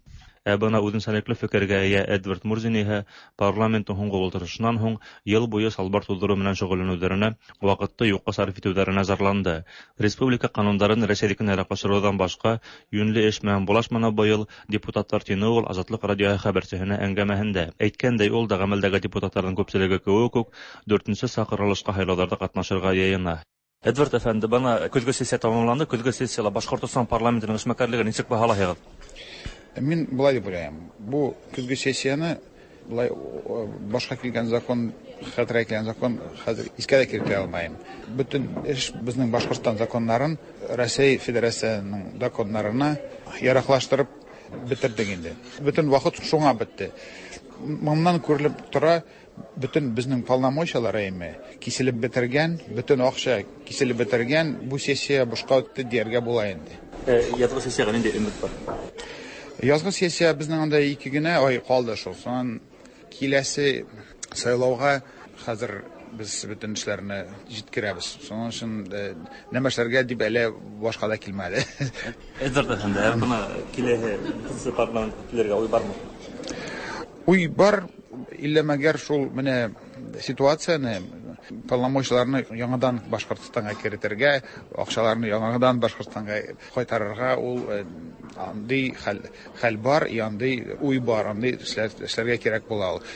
Ә бына үҙенсәлекле фекергә эйә Эдвард Мурзин иһә парламенттың һуңғы ултырышынан һуң йыл буйы салбар туҙҙырыу менән шөғөлләнеүҙәренә, ваҡытты юҡҡа сарыф итеүҙәренә зарланды. Республика ҡанундарын Рәсәйҙекенә яраҡлаштырыуҙан башҡа йүнле эш менән булашманы быйыл депутаттар, тине ул Азатлыҡ радиоһы хәбәрсеһенә әңгәмәһендә. Әйткәндәй, ул да ғәмәлдәге депутаттарҙың күпселеге кеүек үк дүртенсе саҡырылышҡа һайлауҙарҙа ҡатнашырға йыйына. Эдвард әфәнде, бына көҙгө сессия тамамланды. Көҙгө сессияла Башҡортостан парламентының эшмәкәрлеген нисек баһалайһығыҙ?
Мин былай дип уйлайым. Бу көзгө сессияны былай башҡа килгән закон, хәтергә килгән закон хәҙер иҫкә лә килтерә алмайым. Бөтөн эш беҙҙең Башҡортостан законнарын Рәсәй Федерацияһының законнарына яраҡлаштырып бөтөрҙөк инде. Бөтөн ваҡыт шуңа бөттө. Моннан күрелеп тора, бөтөн беҙҙең полномочиялар әйме киселеп бөтөргән, бөтөн аҡса киселеп бөтөргән, бу сессия бушҡа үтте тиергә була инде.
Яҙғы сессияға ниндәй өмөт бар?
Язгы сессия безнең анда ике генә ай калды шул. Сонан киләсе сайлауга хәзер без бөтен эшләрне җиткерәбез. Шуның өчен нәмә эшләргә дип әле башка да килмәде.
Эдвард әфәнде, бына киләһе парламентка килергә уй бармы?
Уй бар, иллә мәгәр шул менә ситуацияне, полномочияларны яңадан Башҡортостанға керетергә, акчаларны яңадан Башҡортостанға кайтарырга ул андый хәл, хәл бар, и андый уй бар, андый эшләргә кирәк була ул.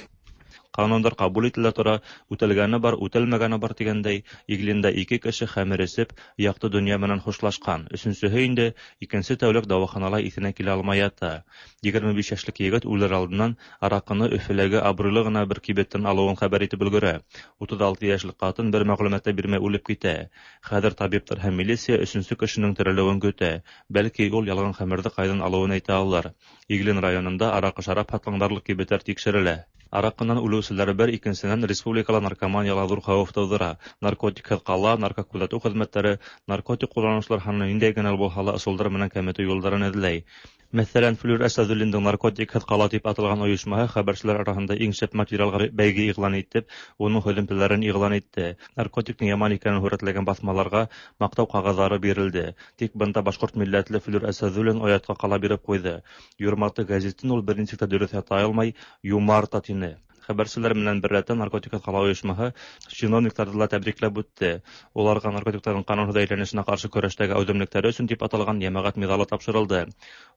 Ҡанундар ҡабул ителә тора, үтәлгәне бар, үтәлмәгәне бар тигәндәй, Иглиндә ике кеше хәмер эсеп, яҡты донъя менән хушлашҡан. Өсөнсөһө инде икенсе тәүлек дауаханала иҫенә килә алмай ята. Егерме биш йәшлек егет үлер алдынан араҡыны Өфөләге абруйлы ғына бер кибеттән алыуын хәбәр итеп өлгөрә. Утыҙ алты йәшлек ҡатын бер мәғлүмәт тә бирмәй үлеп китә. Хәҙер табиптар һәм милиция өсөнсө кешенең терелеүен көтә. Бәлки ул ялған хәмерҙе ҡайҙан алыуын әйтә алыр. Иглин районында араҡы шарап һатҡан барлыҡ кибеттәр тикшерелә. Араҡынан үлеүселәр бер, икенсенән республикала наркоманияла ҙур хәүеф тыуҙыра. Наркотикһыҙ ҡала, наркокүҙәтеү хеҙмәттәре наркотик ҡулланыусылар һанын ниндәй генә булһа ла ысулдар менән кәметеү юлдарын эҙләй. Мәҫәлән, Флүр Әсәҙуллиндың наркотикһыҙ ҡала тип аталған ойошмаһы хәбәрселәр араһында иң шәп материалға бәйге иғлан итеп, уның һөҙөмтәләрен иғлан итте. Наркотиктың яман икәнен һүрәтләгән баҫмаларға маҡтау ҡағыҙҙары бирелде. Тик бында башҡорт милләтле Флүр Әсәҙуллин оятҡа ҡала биреп ҡуйҙы. Юрматы гәзитен ул бер нисек тә дөрөҫ ята алмай, юмарта тине. Хәбәрселәр менән бер рәттән наркотикһыҙ ҡала ойошмаһы чиновниктарҙы ла тәбрикләп үтте. Уларға наркотиктарҙың ҡанунһыҙ әйләнешенә ҡаршы көрәштәге әүҙемлектәре өсөн тип аталған йәмәғәт миҙалы тапшырылды.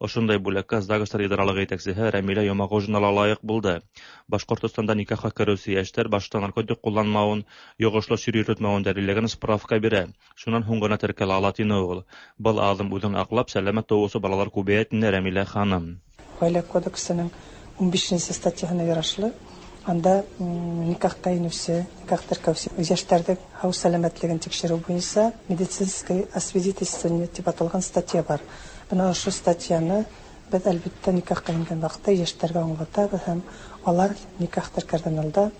Ошондай бүләккә ЗАГСтар идаралығы етәксеһе Рәмилә Йомағужина ла лайыҡ булды. Башҡортостанда никахҡа кереүсе йәштәр башта наркотик ҡулланмауын, йоғошло сир йөрөтмәүен дәлилләгән справка бирә. Шунан һуң ғына теркәлә ала тине ул. Был аҙым үҙен аҡлап, сәләмәт тыуыусы балалар күбәйә, тине Рәмилә ханым.
Ғаилә кодексының ун бишенсе статьяһына ярашлы анда никахҡа инеүсе, никах теркәүсе йәштәрҙең һау сәләмәтлеген тикшереү буйынса медицинское освидетельствование тип аталған статья бар. Бына ошо статьяны беҙ әлбиттә никахҡа ингән ваҡытта йәштәргә аңлатабыҙ һәм алар никах теркәрҙән алда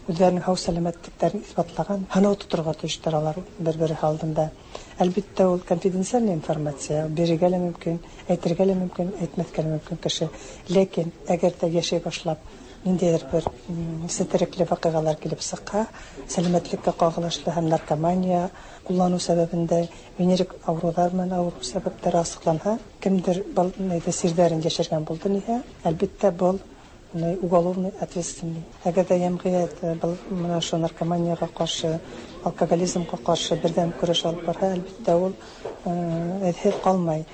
үҙҙәренең һау сәләмәтлектәрен иҫбатлаған һынау тоторға тейештәр алар бер-береһе алдында. Әлбиттә ул конфиденциальная информация, бирергә лә мөмкин, әйтергә лә мөмкин, әйтмәҫкә лә мөмкин кеше. Ләкин әгәр ҙә йәшәй башлап ниндәйҙер бер сетерекле ваҡиғалар килеп сыҡһа, сәләмәтлеккә ҡағылышлы һәм наркомания ҡулланыу сәбәбендә венерик ауырыуҙар менән ауырыу сәбәптәре асыҡланһа, кемдер был сирҙәрен йәшергән булды ниһә, әлбиттә был уголовный ответственный. Әгәр ҙә йәмғиәт был менә ошо наркоманияға ҡаршы, алкоголизмға ҡаршы берҙәм көрәш алып барһа, әлбиттә ул эҙһеҙ ҡалмай.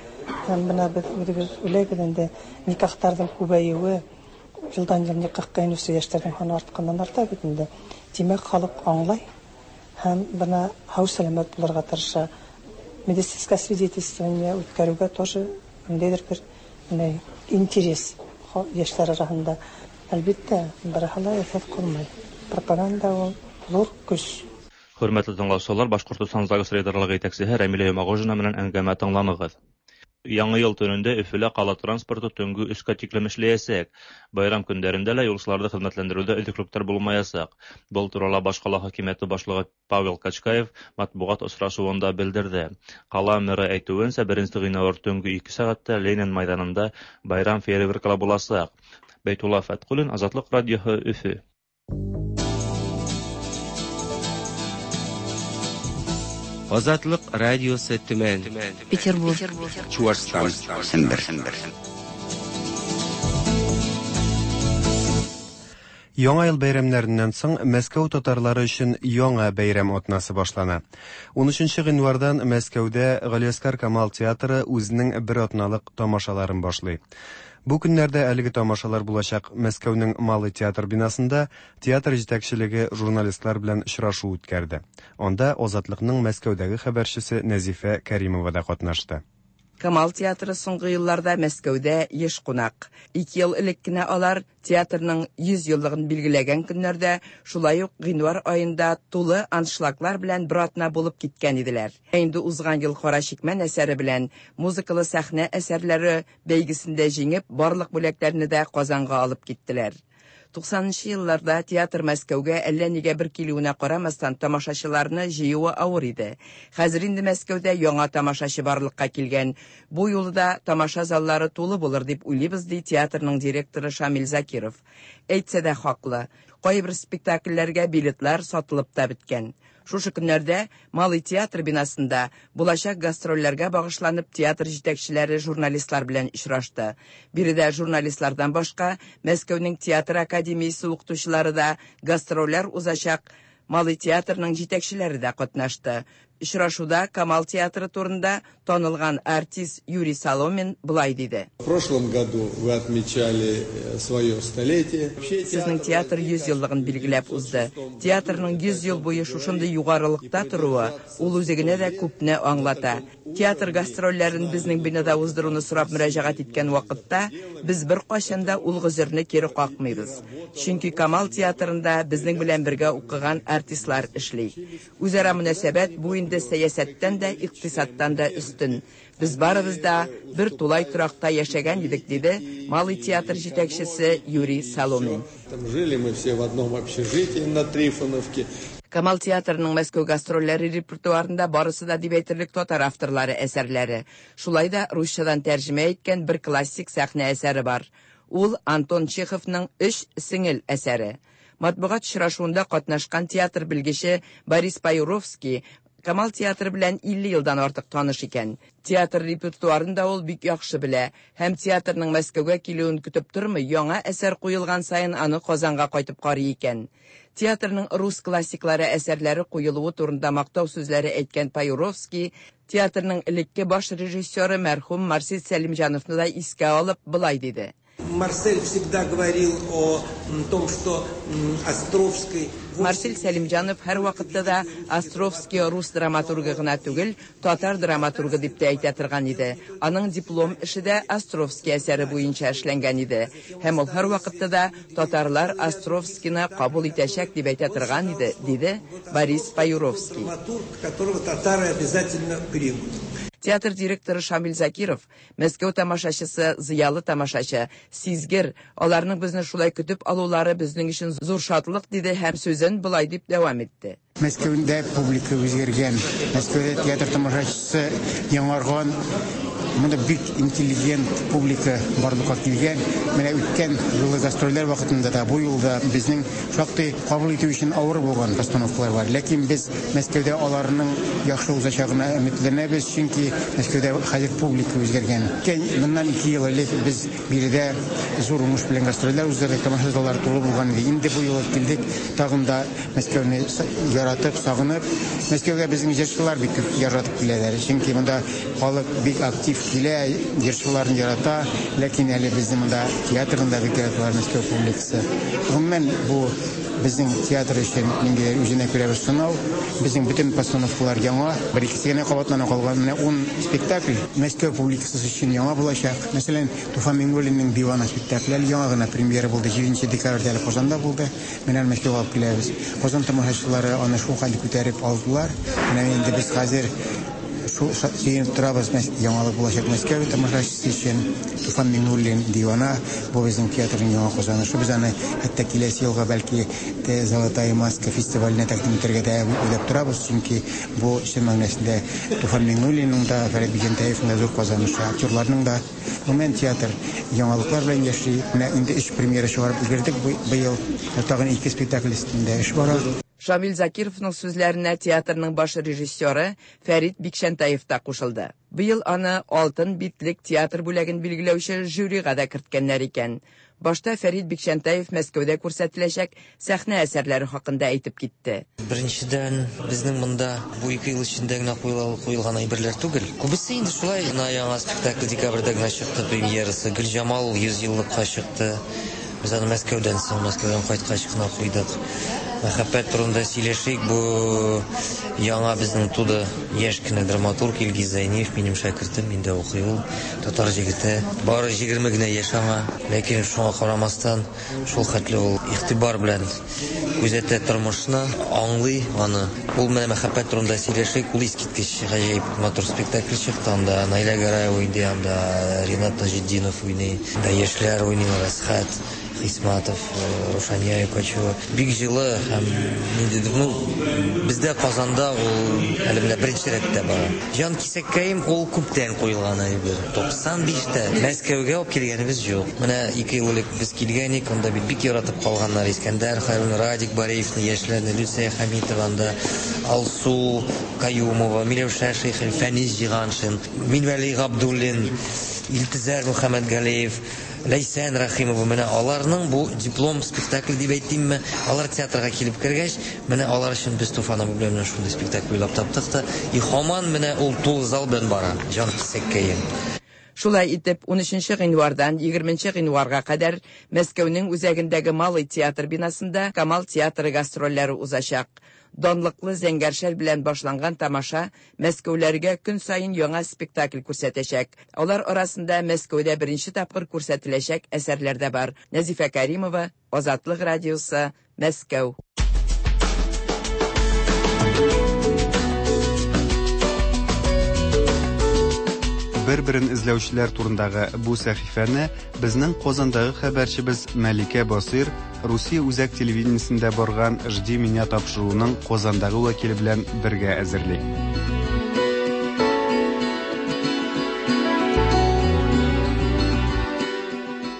Һәм бына беҙ үҙебеҙ уйлайбыҙ инде, никахтарҙың күбәйеүе, йылдан йыл никахҡа инеүсе йәштәрҙең һаны артҡандан арта бит инде. Тимәк, халыҡ аңлай һәм бына һау сәләмәт булырға тырыша. Медицинское освидетельствование үткәрүгә тоже ниндәйдер бер менә интерес яшьләр арасында. Әлбиттә, барыһы ла эффект кылмай. Пропаганда ул зур көс.
Хөрмәтле тыңлаучылар, Башкортостан ЗАГС рейдерлыгы җитәкчесе Рәмилә Йомагожина менән әңгәмә тыңланыгыз. Яңы ел төнендә Өфөлә ҡала транспорты төнгө өскә тиклем эшләйәсәк. Байрам көндәрендә лә юлсыларҙы хеҙмәтләндереүҙә өҙөклөктәр булмаясаҡ. Был турала баш ҡала хакимиәте башлығы Павел Качкаев матбуғат осрашыуында белдерҙе. Ҡала мэры әйтеүенсә, беренсе ғинуар төнгө ике сәғәттә Ленин майҙанында байрам фейерверкалары буласаҡ. Бәйтулла Фәтҡуллин, Азатлыҡ радиоһы, Өфө.
Азатлык радиосы Төмән,
Петербург,
Чуашстан, Сембер.
Яңа ел бәйрәмнәреннән соң Мәскәү татарлары өчен яңа бәйрәм атнасы башлана. ун өченче гыйнвардан Мәскәүдә Галиәсгар Камал театры үзенең бер атналык тамашаларын башлый. Бу көннәрдә әлеге тамашалар булачак Мәскәүнең Малый театр бинасында театр җитәкчелеге журналистлар белән очрашу үткәрде. Анда Азатлыкның Мәскәүдәге хәбәрчесе Нәзифә Кәримова да катнашты.
Камал театры соңгы елларда Мәскәүдә еш кунак. Ике ел элек кенә алар театрның йөз еллыгын билгеләгән көннәрдә, шулай ук гыйнвар аенда тулы аншлаглар белән бер атна булып киткән иделәр. Инде узган ел Кара чикмән әсәре белән музыкалы сәхнә әсәрләре бәйгесендә җиңеп, барлык бүләкләрне дә Казанга алып киттеләр. Туксанынчы елларда театр Мәскәүгә әллә нигә бер килүенә карамастан тамашачыларны җыюы авыр иде. Хәзер инде Мәскәүдә яңа тамашачы барлыкка килгән. Бу юлы да тамаша заллары тулы булыр дип уйлыйбыз, ди театрның директоры Шамил Закиров. Әйтсә дә хаклы. Кайбер спектакльләргә билетлар сатылып та беткән. Шушы көннәрдә Малый театр бинасында булачак гастрольләргә багышланып театр җитәкчеләре журналистлар белән очрашты. Биредә журналистлардан башка Мәскәүнең театр академиясе укытучылары да гастрольләр узачак Малый театрның җитәкчеләре дә катнашты. Очрашуда Камал театры турында танылган артист Юрий Соломин былай диде.
В прошлом году вы отмечали свое столетие.
Сезнең театр йөз еллыгын билгеләп узды. Театрның йөз ел буе шушындый югарылыкта торуы ул үзе генә дә күпне аңлата. Театр гастрольләрен безнең бинада уздыруны сорап мөрәҗәгать иткән вакытта без беркайчан да ул гозерне кире какмыйбыз. Чөнки Камал театрында безнең белән бергә укыган артистлар эшли. Үзара мөнәсәбәт бу инде сәясәттән дә, икътисадтан да өстен. Без барыбыз да бер тулай торакта яшәгән идек, диде Малый театр җитәкчесе Юрий Соломин.
Там жили мы все в одном общежитии на Трифоновке.
Камал театрының Мәскәү гастрольләре репертуарында барысы да дип әйтерлек татар авторлары әсәрләре. Шулай да русчадан тәрҗемә иткән бер классик сәхнә әсәре бар. Ул Антон Чеховның Өч сеңел әсәре. Матбугат очрашуында катнашкан театр белгече Борис Паюровский Камал театры белән илле елдан артык таныш икән. Театр репертуарын да ул бик яхшы белә һәм театрның Мәскәүгә килүен көтеп тормый, яңа әсәр куелган саен аны Казанга кайтып карый икән. Театрның рус классиклары әсәрләре куелуы турында мактау сүзләре әйткән Паюровский театрның элекке баш режиссеры мәрхүм Марсель Сәлимҗановны да искә алып былай диде.
Марсель всегда говорил о том, что Островский...
Марсель Сәлимҗанов һәр вакытта да Островский рус драматургы гына түгел, татар драматургы дип тә әйтә торган иде. Аның диплом эше дә Островский әсәре буенча эшләнгән иде. Һәм ул һәр вакытта да татарлар Островскийны кабул итәчәк дип әйтә торган иде, диде Борис Паюровский.
Драматург, которого татары обязательно примут.
Театр директоры Шамил Закиров, Мәскәү тамашачысы, зыялы тамашачы, сизгер, аларның безне шулай көтеп алулары безнең өчен зур шатлык, диде һәм сүзен былай дип дәвам итте.
Мәскәүдә публика үзгәргән, Мәскәүдә театр тамашачысы яңарган, монда бик интеллигент публика барлыкка килгән. Менә үткән юлы гастрольләр вакытында да бу юлда безнең шактый кабул итү өчен авыр булган постановкалар бар. Ләкин без Мәскәүдә аларның яхшы узачагына өметләнәбез, чөнки Мәскәүдә хәзер публика үзгәргән. Моннан ике ел элек без биредә зур уңыш белән гастрольләр уздырдык, тамаша заллары тулы булган иде. Инде бу юлы килдек, тагын да Мәскәүне яратып, сагынып. Мәскәүгә безнең җырчылар бик күп яратып киләләр, чөнки монда халык бик актив килә, җырчыларын ярата, ләкин әле безнең монда театрында бик яраталар Мәскәү публикасы. Гомумән, бу безнең театр өчен ниндидер үзенә күрә бер сынау. Безнең бөтен постановкалар яңа, бер икесе генә кабатлана калган. Менә ун спектакль Мәскәү публикасы өчен яңа булачак. Мәсәлән, Туфан Миңнуллинның Дивана спектакле әле яңа гына премьера булды. Җиденче декабрьдә әле Казанда булды. Менә Мәскәүгә алып киләбез. Казан тамашачылары аны шул хәлдә күтәреп алдылар. Менә инде без хәзер шул сөенеп торабыз, яңалык булачак Мәскәү тамашачысы өчен. Туфан Миңнуллин Дивана, бу безнең театрның яңа казанышы. Без аны хәтта киләсе елга бәлки Золотая маска фестиваленә тәкъдим итәргә дә уйлап торабыз, чөнки бу чын мәгънәсендә Туфан Миңнуллинның да, Фәрит Бикчәнтәевның да зур казанышы, актерларның да. Гомумән театр яңалыклар белән яши. Менә инде өч премьера чыгарып өлгердек быел. Тагын ике спектакль өстендә эш бара.
Шамил Закировның сүзләренә театрның баш режиссеры Фәрит Бикчәнтәев та кушылды. Быел аны Алтын битлек театр бүләген билгеләүче жюрига да керткәннәр икән. Башта Фәрит Бикчәнтәев Мәскәүдә күрсәтеләчәк сәхнә әсәрләре хакында әйтеп китте.
Беренчедән, безнең монда бу ике ел эчендә генә куелган әйберләр түгел. Күбесе инде шулай, менә яңа спектакль декабрьдә генә чыкты премьерасы. Гөлҗамал йөз еллыкка чыкты. Без аны Мәскәүдән соң, Мәскәүдән кайткач кына куйдык. Мәхәббәт турында сөйләшик. Бу яңа безнең туды яшь кенә драматург Илгиз Зәйниев, минем шәкертем, миндә укый ул, татар җегете. Бары егерме генә яшь аңа, ләкин шуңа карамастан шул хәтле ул игътибар белән күзәтә тормышны, аңлый аны. Ул менә мәхәббәт турында сөйләшик, ул искиткеч гаҗәеп матур спектакль чыкты. Анда Наилә Гараева уйный, анда Ринат Таҗетдинов уйный, анда яшьләр уйныйлар, Әсхәт Хисматов, Рушания Юкачева. Бик җылы һәм ниндидер, ну, бездә Казанда ул әле менә беренче рәттә бара. Җан кисәккәем ул күптән куелган әйбер. туксан биштә Мәскәүгә алып килгәнебез юк. Менә ике ел элек без килгән идек, анда бит бик яратып калганнар Искәндәр Хәйруллин, Радик Бариевны, яшьләрне, Люция Хәмитова, анда Алсу Каюмова, Миләүшә Шәйхел, Фәнис Җиганшин, Минвәли Габдуллин, Илтизәр Мөхәммәтгалиев, Ләйсән Рәхимова. Менә аларның бу диплом спектакль дип әйтимме, алар театрга килеп кергәч, менә алар өчен без Туфан абый белән шундый спектакль уйлап таптык та, и һаман менә ул тулы зал белән бара, җан кисәккәем.
Шулай итеп, унөченче гыйнвардан егерменче гыйнварга кадәр Мәскәүнең үзәгендәге Малый театр бинасында Камал театры гастрольләре узачак. Данлыклы Зәңгәр шәл белән башланган тамаша Мәскәүләргә көн саен яңа спектакль күрсәтәчәк. Алар арасында Мәскәүдә беренче тапкыр күрсәтеләчәк әсәрләр дә бар. Нәзифә Каримова, Азатлык радиосы, Мәскәү.
Бер-берен эзләүчеләр турындагы бу сәхифәне безнең Казандагы хәбәрчебез Мәликә Басыйр Русия үзәк телевидениесендә барган «Жди меня» тапшыруының Казандагы вәкиле белән бергә әзерли.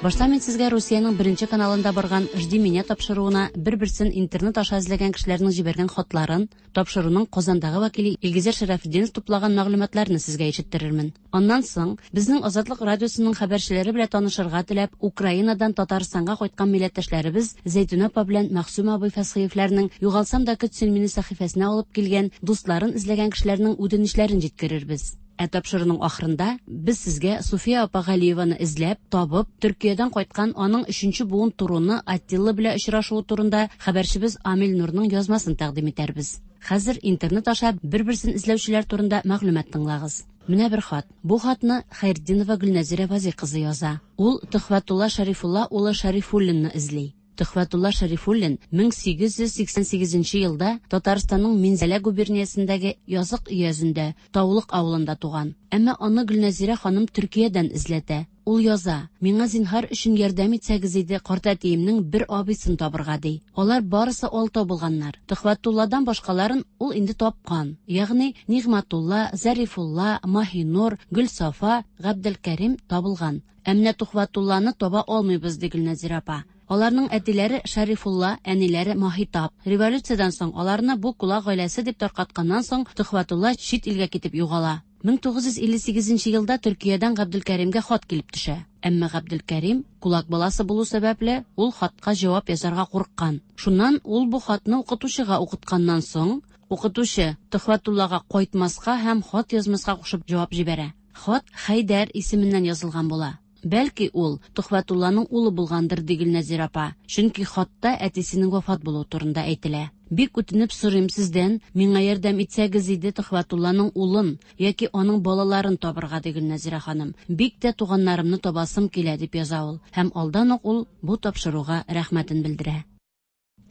Башта мин сезгә Русиянең беренче каналында барган «Жди меня» тапшыруына бер-берсен интернет аша эзләгән кешеләрнең җибәргән хатларын, тапшыруның Казандагы вәкиле Илгизәр Шәрәфетдинов туплаган мәгълүматларны сезгә ишеттерермен. Аннан соң безнең Азатлык радиосының хәбәрчеләре белән танышырга теләп Украинадан Татарстанга кайткан милләттәшләребез Зәйтүнә апа белән Мәгъсүм абый Фәсхиевләрнең «Югалсам да көт син мине» сәхифәсенә алып килгән дусларын эзләгән кешеләрнең үтенечләрен җиткерербез. Ә тапшыруның ахырында без сезгә Суфия апа Галиеваны эзләп, табып, Төркиядән кайткан аның өченче буын туруны Аттила белән очрашуы турында хәбәрчебез Амил Нурның язмасын тәкъдим итәрбез. Хәзер интернет аша бер-берсен эзләүчеләр турында мәгълүмат тыңлагыз. Менә бер хат. Бу хатны Хәйретдинова Гөлнәзирә Вази кызы яза. Ул Төхвәтулла Шәрифулла улы Шәрифуллинны эзли. Төхвәтулла Шәрифуллин мең сигез йөз сиксән сигезенче елда Татарстанның Минзәлә губерниясендәге Язык өязендә, Таулык авылында туган. Әмма аны Гөлнәзирә ханым Төркиядән эзләтә. Ул яза: "Миңа зинһар өчен ярдәм итсәгез иде, картәтиемнең бер абыйсын табырга", ди. Алар барысы алтау булганнар. Төхвәтулладан башкаларын ул инде тапкан. Ягъни Нигъмәтулла, Зарифулла, Маһинур, Гөлсафа, Габделкәрим табылган. Ә менә Төхвәтулланы таба алмыйбыз, ди Гөлнәзирә апа. Аларның әтиләре Шәрифулла, әниләре Маһитап. Революциядән соң аларны бу кулак гаиләсе дип таркатканнан соң Төхвәтулла чит илгә китеп югала. мең тугыз йөз илле сигезенче елда Төркиядән Габделкәримгә хат килеп төшә. Әмма Габделкәрим кулак баласы булу сәбәпле ул хатка җавап язарга курыккан. Шуннан ул бу хатны укытучыга укытканнан соң, укытучы Төхвәтуллага кайтмаска һәм хат язмаска кушып җавап җибәрә. Хат Хәйдәр исеменнән язылган була. Бәлки ул Төхвәтулланың улы булгандыр, ди Гөлнәзирә апа. Чөнки хатта әтисенең вафат булуы турында әйтелә. Бик үтенеп сорыйм сездән, миңа ярдәм итсәгез иде Төхвәтулланың улын яки аның балаларын табырга, ди Гөлнәзирә ханым. Бик тә туганнарымны табасым килә, дип яза ул. Һәм алдан ук ул бу тапшыруга рәхмәтен белдерә.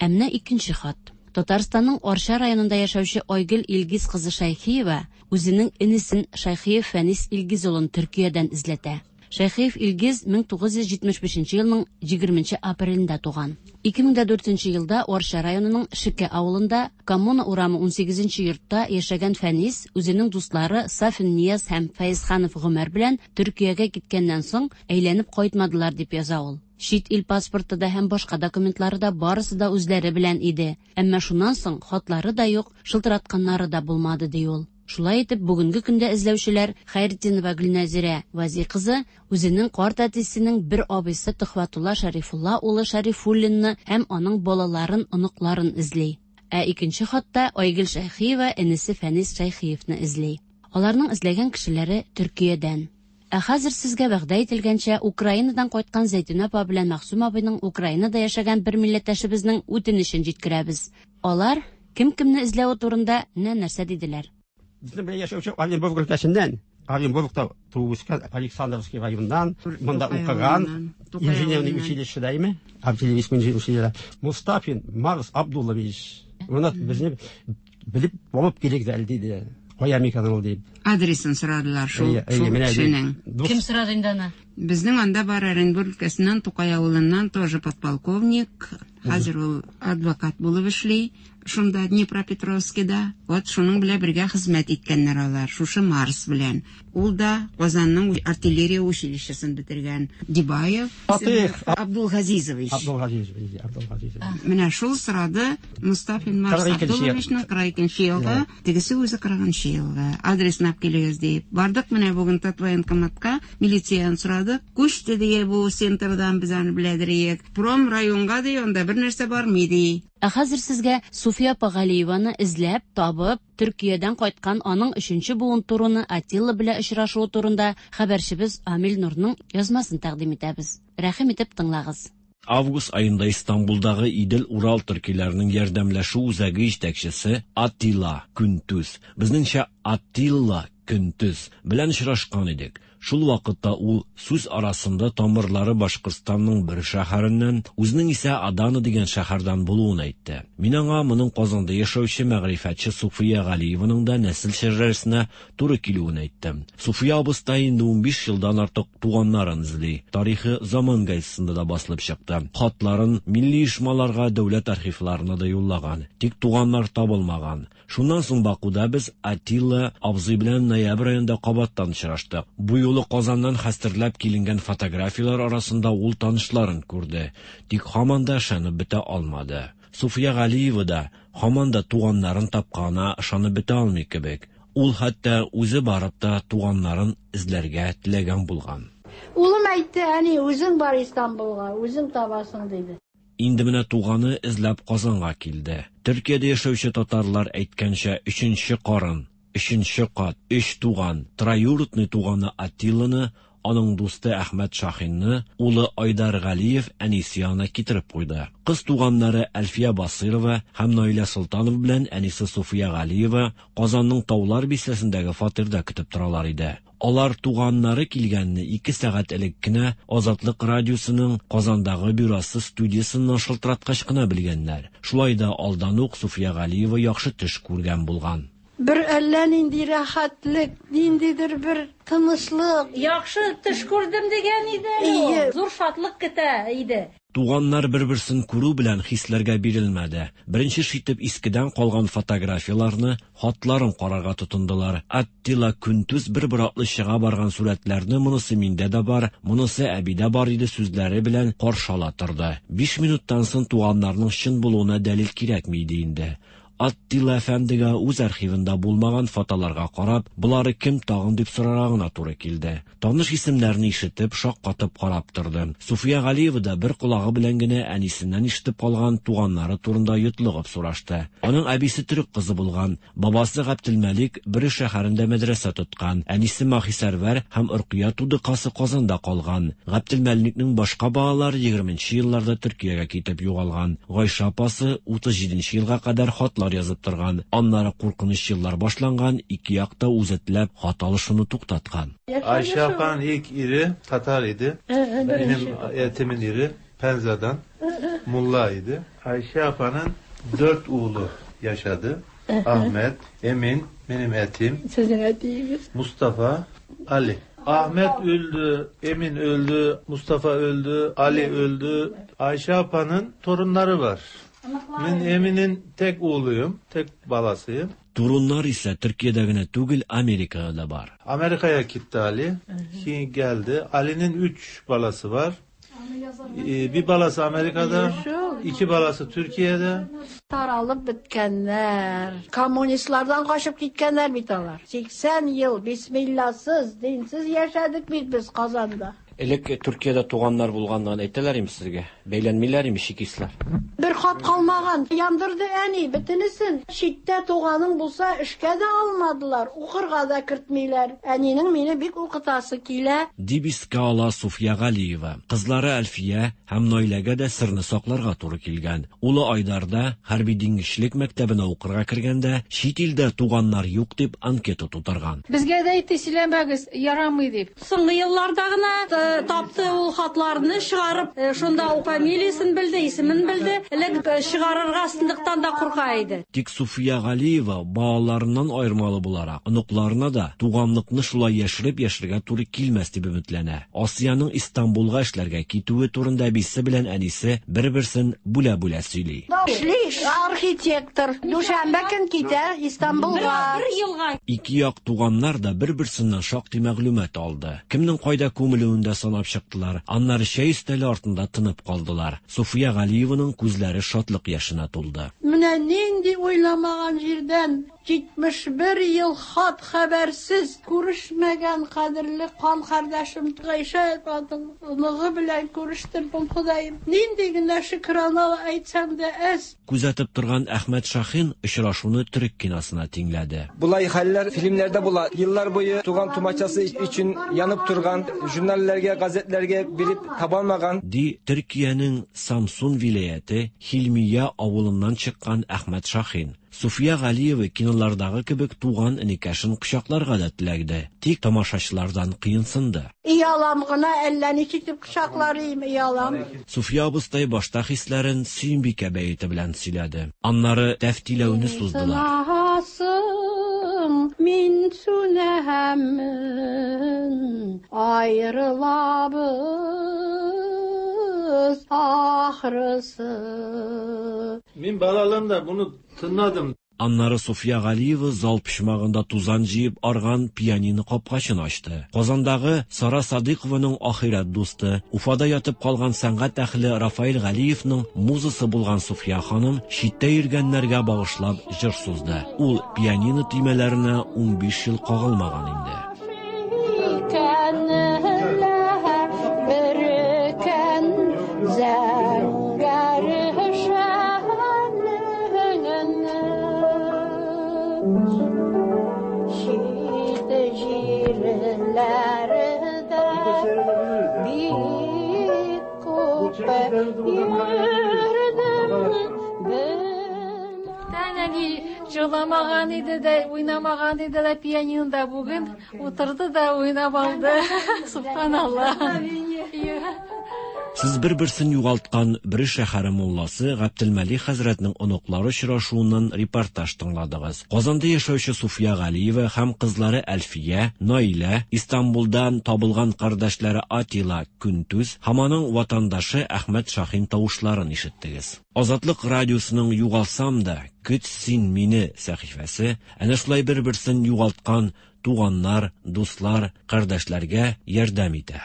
Ә менә икенче хат. Татарстанның Арча районында яшәүче Айгөл Илгиз кызы Шәйхиева үзенең энесен Шәйхиев Фәнис Илгиз улын Төркиядән эзләтә. Шәйхиев Илгиз мең тугыз йөз җитмеш бишенче елның егерменче апрелендә туган. Ике мең дә дүртенче елда Арча районының Шеке авылында Коммуна урамы унсигезенче йортта яшәгән Фәнис үзенең дуслары Сафин Нияз һәм Фәйзханов Гомәр белән Төркиягә киткәннән соң әйләнеп кайтмадылар, дип яза ул. Чит ил паспорты да һәм башка документлары да барысы да үзләре белән иде. Әмма шуннан соң хатлары да юк, шылтыратканнары да булмады, ди ул. Шулай итеп, бүгенге көндә эзләүчеләр Хәйретдинова Гөлнәзирә Вази кызы үзенең карт әтисенең бер абыйсы Төхвәтулла Шәрифулла улы Шәрифуллинны һәм аның балаларын, оныкларын эзли. Ә икенче хатта Айгөл Шәйхиева энесе Фәнис Шәйхиевны эзли. Аларның эзләгән кешеләре Төркиядән. Ә хәзер сезгә вәгъдә ителгәнчә Украинадан кайткан Зәйтүнә апа белән Мәгъсүм абыйның Украинада яшәгән бер милләттәшебезнең үтенечен җиткерәбез. Алар кем кемне эзләве турында менә нәрсә диделәр.
Безнең белән яшәүче Оренбург өлкәсеннән, Оренбургта туып үскән Александровский районыннан, монда укыган, инженерный училищеда име, артиллерийский инженерный училищеда Мустафин Марс Абдуллович. Моны безне белеп булып килик әле диде. Кая микән ул дип.
Адресын сорадылар шул,
Әйе, әйе,
шул
менә
кешенең.
дус-
Кем сорады инде аны?
Безнең анда бар Оренбург өлкәсеннән, Тукай авылыннан тоже подполковник. Хәзер ул адвокат булып эшли. Шунда Днепропетровскида. Вот шуның белән бергә хезмәт иткәннәр алар, шушы Марс белән. Ул да Казанның артиллерия училищесын бетергән. Дибаев
Фатих
Абдулгазизович.
Абдулгазизович, Абдулгазизович.
Менә шул сорады Мустафин Марс
Кырык икенче ел.
Абдулловичның кырык икенче елгы, тегесе үзе кырыгынчы елгы. Адресын алып килегез дип. Бардык менә бүген Татвоенкоматка, милицияны сорадык. Күчте дие бу центрдан, без аны беләдер. Пром районга ди, анда бер нәрсә бармый ди.
Ә хәзер сезгә Суфия апа Галиеваны эзләп, табып, Төркиядән кайткан аның өченче буын туруны Атилла белән очрашуы турында хәбәрчебез Амил Нурның язмасын тәкъдим итәбез. Рәхим итеп тыңлагыз.
Август айында Истанбулдагы Идел-Урал төркиләренең ярдәмләшү үзәге җитәкчесе Атилла Күнтүз, безнеңчә Атилла Күнтүз белән очрашкан идек. Шул вакытта ул сүз арасында тамырлары Башкортстанның бер шәһәреннән, үзенең исә Адана дигән шәһәрдән булуын әйтте. Мин аңа моның Казанда яшәүче мәгърифәтче Суфия Галиеваның да нәсел шәҗәрәсенә туры килүен әйттем. Суфия абыстай инде унбиш елдан артык туганнарын эзли. Тарихы Заман газетасында да басылып чыкты. Хатларын милли оешмаларга, дәүләт архивларына да юллаган. Тик туганнар табылмаган. Шуннан соң Бакуда без Атилла абзый белән ноябрь аенда кабаттан очраштык. Бу юлы Казаннан хәстерләп киленгән фотографияләр арасында ул танышларын күрде. Тик һаман да ышанып бетә алмады. Суфия Галиева да һаман да туганнарын тапканына ышанып бетә алмый кебек. Ул хәтта үзе барып та туганнарын эзләргә теләгән булган.
Улым әйтте, әни, үзең бар Истанбулга, үзең табасың, диде.
Инде менә туганы эзләп Казанга килде. Төркиядә яшәүче татарлар әйткәнчә, өченче карын, өченче кат, өч туган, троюродный туганы Атилланы, аның дусты Әхмәт Шахинны, улы Айдар Галиев әнисе янына китереп куйды. Кыз туганнары Әлфия Басырова һәм Наилә Солтанова белән әнисе Суфия Галиева Казанның Таулар бистәсендәге фатирда көтеп торалар иде. Алар туганнары килгәнне ике сәгать элек кенә Азатлык радиосының Казандагы бюросы студиясеннән шылтыраткач кына белгәннәр. Шулай да алдан ук Суфия Галиева яхшы төш күргән булган.
Бер әллә нинди рәхәтлек, ниндидер бер тынычлык.
Яхшы төш күрдем дигән иде әле ул.
Ие.
Зур шатлык көтә иде.
Туганнар бер-берсен күрү белән хисләргә бирелмәде. Беренче итеп искедән калган фотографияләрне, хатларын карарга тотындылар. Аттила Күнтүз бер-бер атлы чыга барган сурәтләрне монысы миндә дә бар, монысы әбидә бар иде сүзләре белән каршы ала торды. Биш минуттан соң туганнарның чын булуына дәлил кирәкми иде инде. Аттила әфәндегә үз архивында булмаган фотоларга карап, болары кем тагын дип сорарга гына туры килде. Таныш исемнәрне ишетеп, шаккатып карап торды. Суфия Галиева да бер колагы белән генә әнисеннән ишетеп калган туганнары турында йотлыгып сорашты. Аның әбисе төрек кызы булган, бабасы Габделмәлик Бөре шәһәрендә мәдрәсә тоткан, әнисе Махисәрвәр һәм Оркыя тудыкасы Казанда калган. Габделмәликнең башка балалары егерменче елларда Төркиягә китеп югалган. Гайшә апасы утыз җиденче елга кадәр хатлар язып торган. Аннары куркыныч еллар башланган, ике якта үзе теләп хат алышуны туктаткан.
Ayşe apanın ilk iri Tatar idi. Benim etimin iri Penza'dan Mulla idi. Ayşe apanın dört oğlu yaşadı. Ahmet, Emin, benim etim.
Sizin etiniz.
Mustafa, Ali. Ahmet öldü, Emin öldü, Mustafa öldü, Ali öldü. Ayşe apanın torunları var. Ben Emin'in tek oğluyum, tek balasıyım.
Torunlar ise Türkiye'de gene түгел, Amerika'da da var.
Amerika'ya gitti Ali. Şimdi geldi. Ali'nin üç balası var. Ee, bir balası Amerika'da, iki balası Türkiye'de.
Taralып bitkənlər, kommunistlardan qaçıb gitkenler bit alар. seksen yıl bismillahsız, dinsiz yaşadık biz, biz Kazanda.
Элек Төркиядә туганнар булганлыгын әйтәләр име сезгә? Бәйләнмиләр име чекистлар?
Бер хат калмаган, яндырды әни бөтенесен. Читтә туганың булса, эшкә дә алмадылар, укырга да кертмиләр. Әнинең мине бик укытасы килә.
Дип искә ала Суфия Галиева. Кызлары Әлфия һәм Наиләгә дә сырны сакларга туры килгән. Улы Айдарда хәрби диңгезчелек мәктәбенә укырга кергәндә, чит илдә туганнар юк дип анкета тутырган.
Безгә дә әйтте, сөйләмәгез, ярамый дип. Соңгы елларда гына тапты ул хатларны чыгарып, шунда ул фамилиясен белде, исемен белде. Элек чыгарырга сындыктан да курка иде.
Тик Суфия Галиева балаларыннан аермалы буларак, оныкларына да туганлыкны шулай яшереп яшәргә туры килмәс дип өметләнә. Асияның Истанбулга эшләргә китүе турында әбисе белән әнисе бер-берсен бүлә-бүлә сөйли.
Эшли архитектор. Дүшәмбе көн китә Истанбулга.
Бер елга.
Ике як туганнар да бер-берсеннән шактый мәгълүмат алды. Кемнең кайда күмелүен дә санап чыктылар. Аннары чәй өстәле артында тынып калдылар. Суфия Галиеваның күзләре шатлык яшенә тулды.
Менә нинди уйламаган җирдән җитмеш бер ел хат хәбәрсез күрешмәгән кадерле кан кардәшем Гайшә апаның оныгы белән күрештердем, Ходаем. Нинди генә шөкрана әйтсәм дә әз.
Күзәтеп торган Әхмәт Шахин очрашуны төрек киносына тиңләде.
Булай хәлләр фильмнәрдә була. Еллар буе туган тумачасы өчен янып торган, журналларга, газетләргә биреп табалмаган.
Ди Төркиянең Самсун вилаяте Хилмия авылыннан чыккан Әхмәт Шахин. Суфия Галиева кинолардагы кебек туган энекәшен кочакларга да теләгде. Тик тамашачылардан кыенсынды.
Иялам гына әллә ничек дип кочаклар идем, иялам.
Суфия абыстай башта хисләрен Сөембикә бәете белән сөйләде. Аннары тәфтиләүне суздылар.
Мин сүнәмен, ayrılabız ahırısı.
Мин балалığımda bunu tınladım.
Аннары Суфия Галиева зал почмагында тузан җыеп арган пианино капкачын ачты. Казандагы Сара Садыйкованың ахирәт дусты, Уфада ятып калган сәнгать әһле Рафаэль Галиевның музасы булган Суфия ханым читтә йөргәннәргә багышлап җыр сузды. Ул пианино төймәләренә унбиш ел кагылмаган инде.
Әни җырламаган иде дә, уйнамаган иде дә пианинода бүген утырды да уйнап алды. Субханалла.
Сез бер-берсен югалткан Бөре шәһәре мулласы Габделмәлик хәзрәтнең оныклары очрашуыннан репортаж тыңладыгыз. Казанда яшәүче Суфия Галиева һәм кызлары Әлфия, Наилә, Истанбулдан табылган кардәшләре Атила Күнтүз һәм аның ватандашы Әхмәт Шахин тавышларын ишеттегез. Азатлык радиосының Югалсам да, көт син мине сәхифәсе әнә шулай бер-берсен югалткан туганнар, дуслар, кардәшләргә ярдәм итә.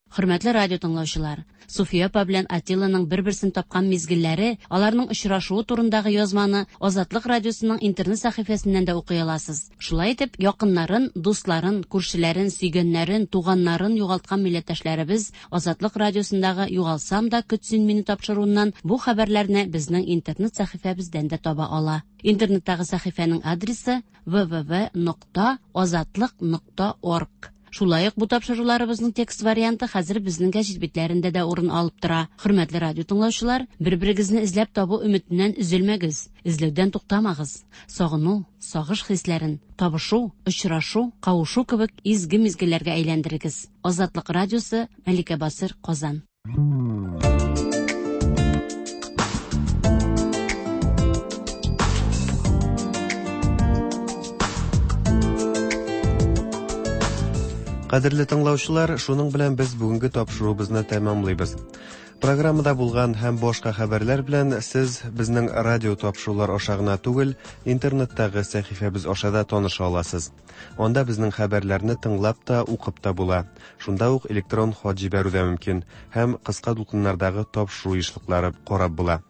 Хөрмәтле радио тыңлаучылар, Суфия апа белән Атилланың бер-берсен тапкан мизгелләре, аларның очрашуы турындагы язманы Азатлык радиосының интернет сәхифәсеннән дә укый аласыз. Шулай итеп, якыннарын, дусларын, күршеләрен, сөйгәннәрен, туганнарын югалткан милләттәшләребез Азатлык радиосындагы Югалсам да көт син мине тапшыруыннан бу хәбәрләрне безнең интернет сәхифәбездән дә таба ала. Интернеттагы сәхифәнең адресы вэ вэ вэ нокта азатлык нокта орг. Шулай ук бу тапшыруларыбызның текст варианты хәзер безнең гәҗит битләрендә дә урын алып тора. Хөрмәтле радио тыңлаучылар, бер-берегезне эзләп табу өметеннән өзелмәгез, эзләүдән туктамагыз. Сагыну, сагыш хисләрен табышу, очрашу, кавышу кебек изге мизгелләргә әйләндерегез. Азатлык радиосы, Мәликә Басыр, Казан.
Кадерле тыңлаучылар, шуның белән без бүгенге тапшыруыбызны тәмамлыйбыз. Программада булган һәм башка хәбәрләр белән сез безнең радио тапшырулар аша гына түгел, интернеттагы сәхифәбез аша да таныша аласыз. Анда безнең хәбәрләрне тыңлап та, укып та була. Шунда ук электрон хат җибәрү дә мөмкин һәм кыска дулкыннардагы тапшыру ешлыклары карап була.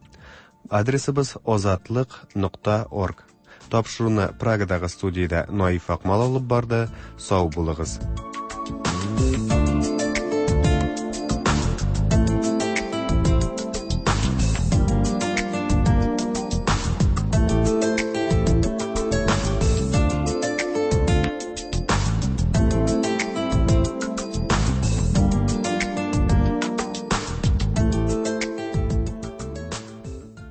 Адресыбыз азатлык нокта орг. Тапшыруны Прагадагы студиядә Наиф Акмал алып барды. Сау булыгыз.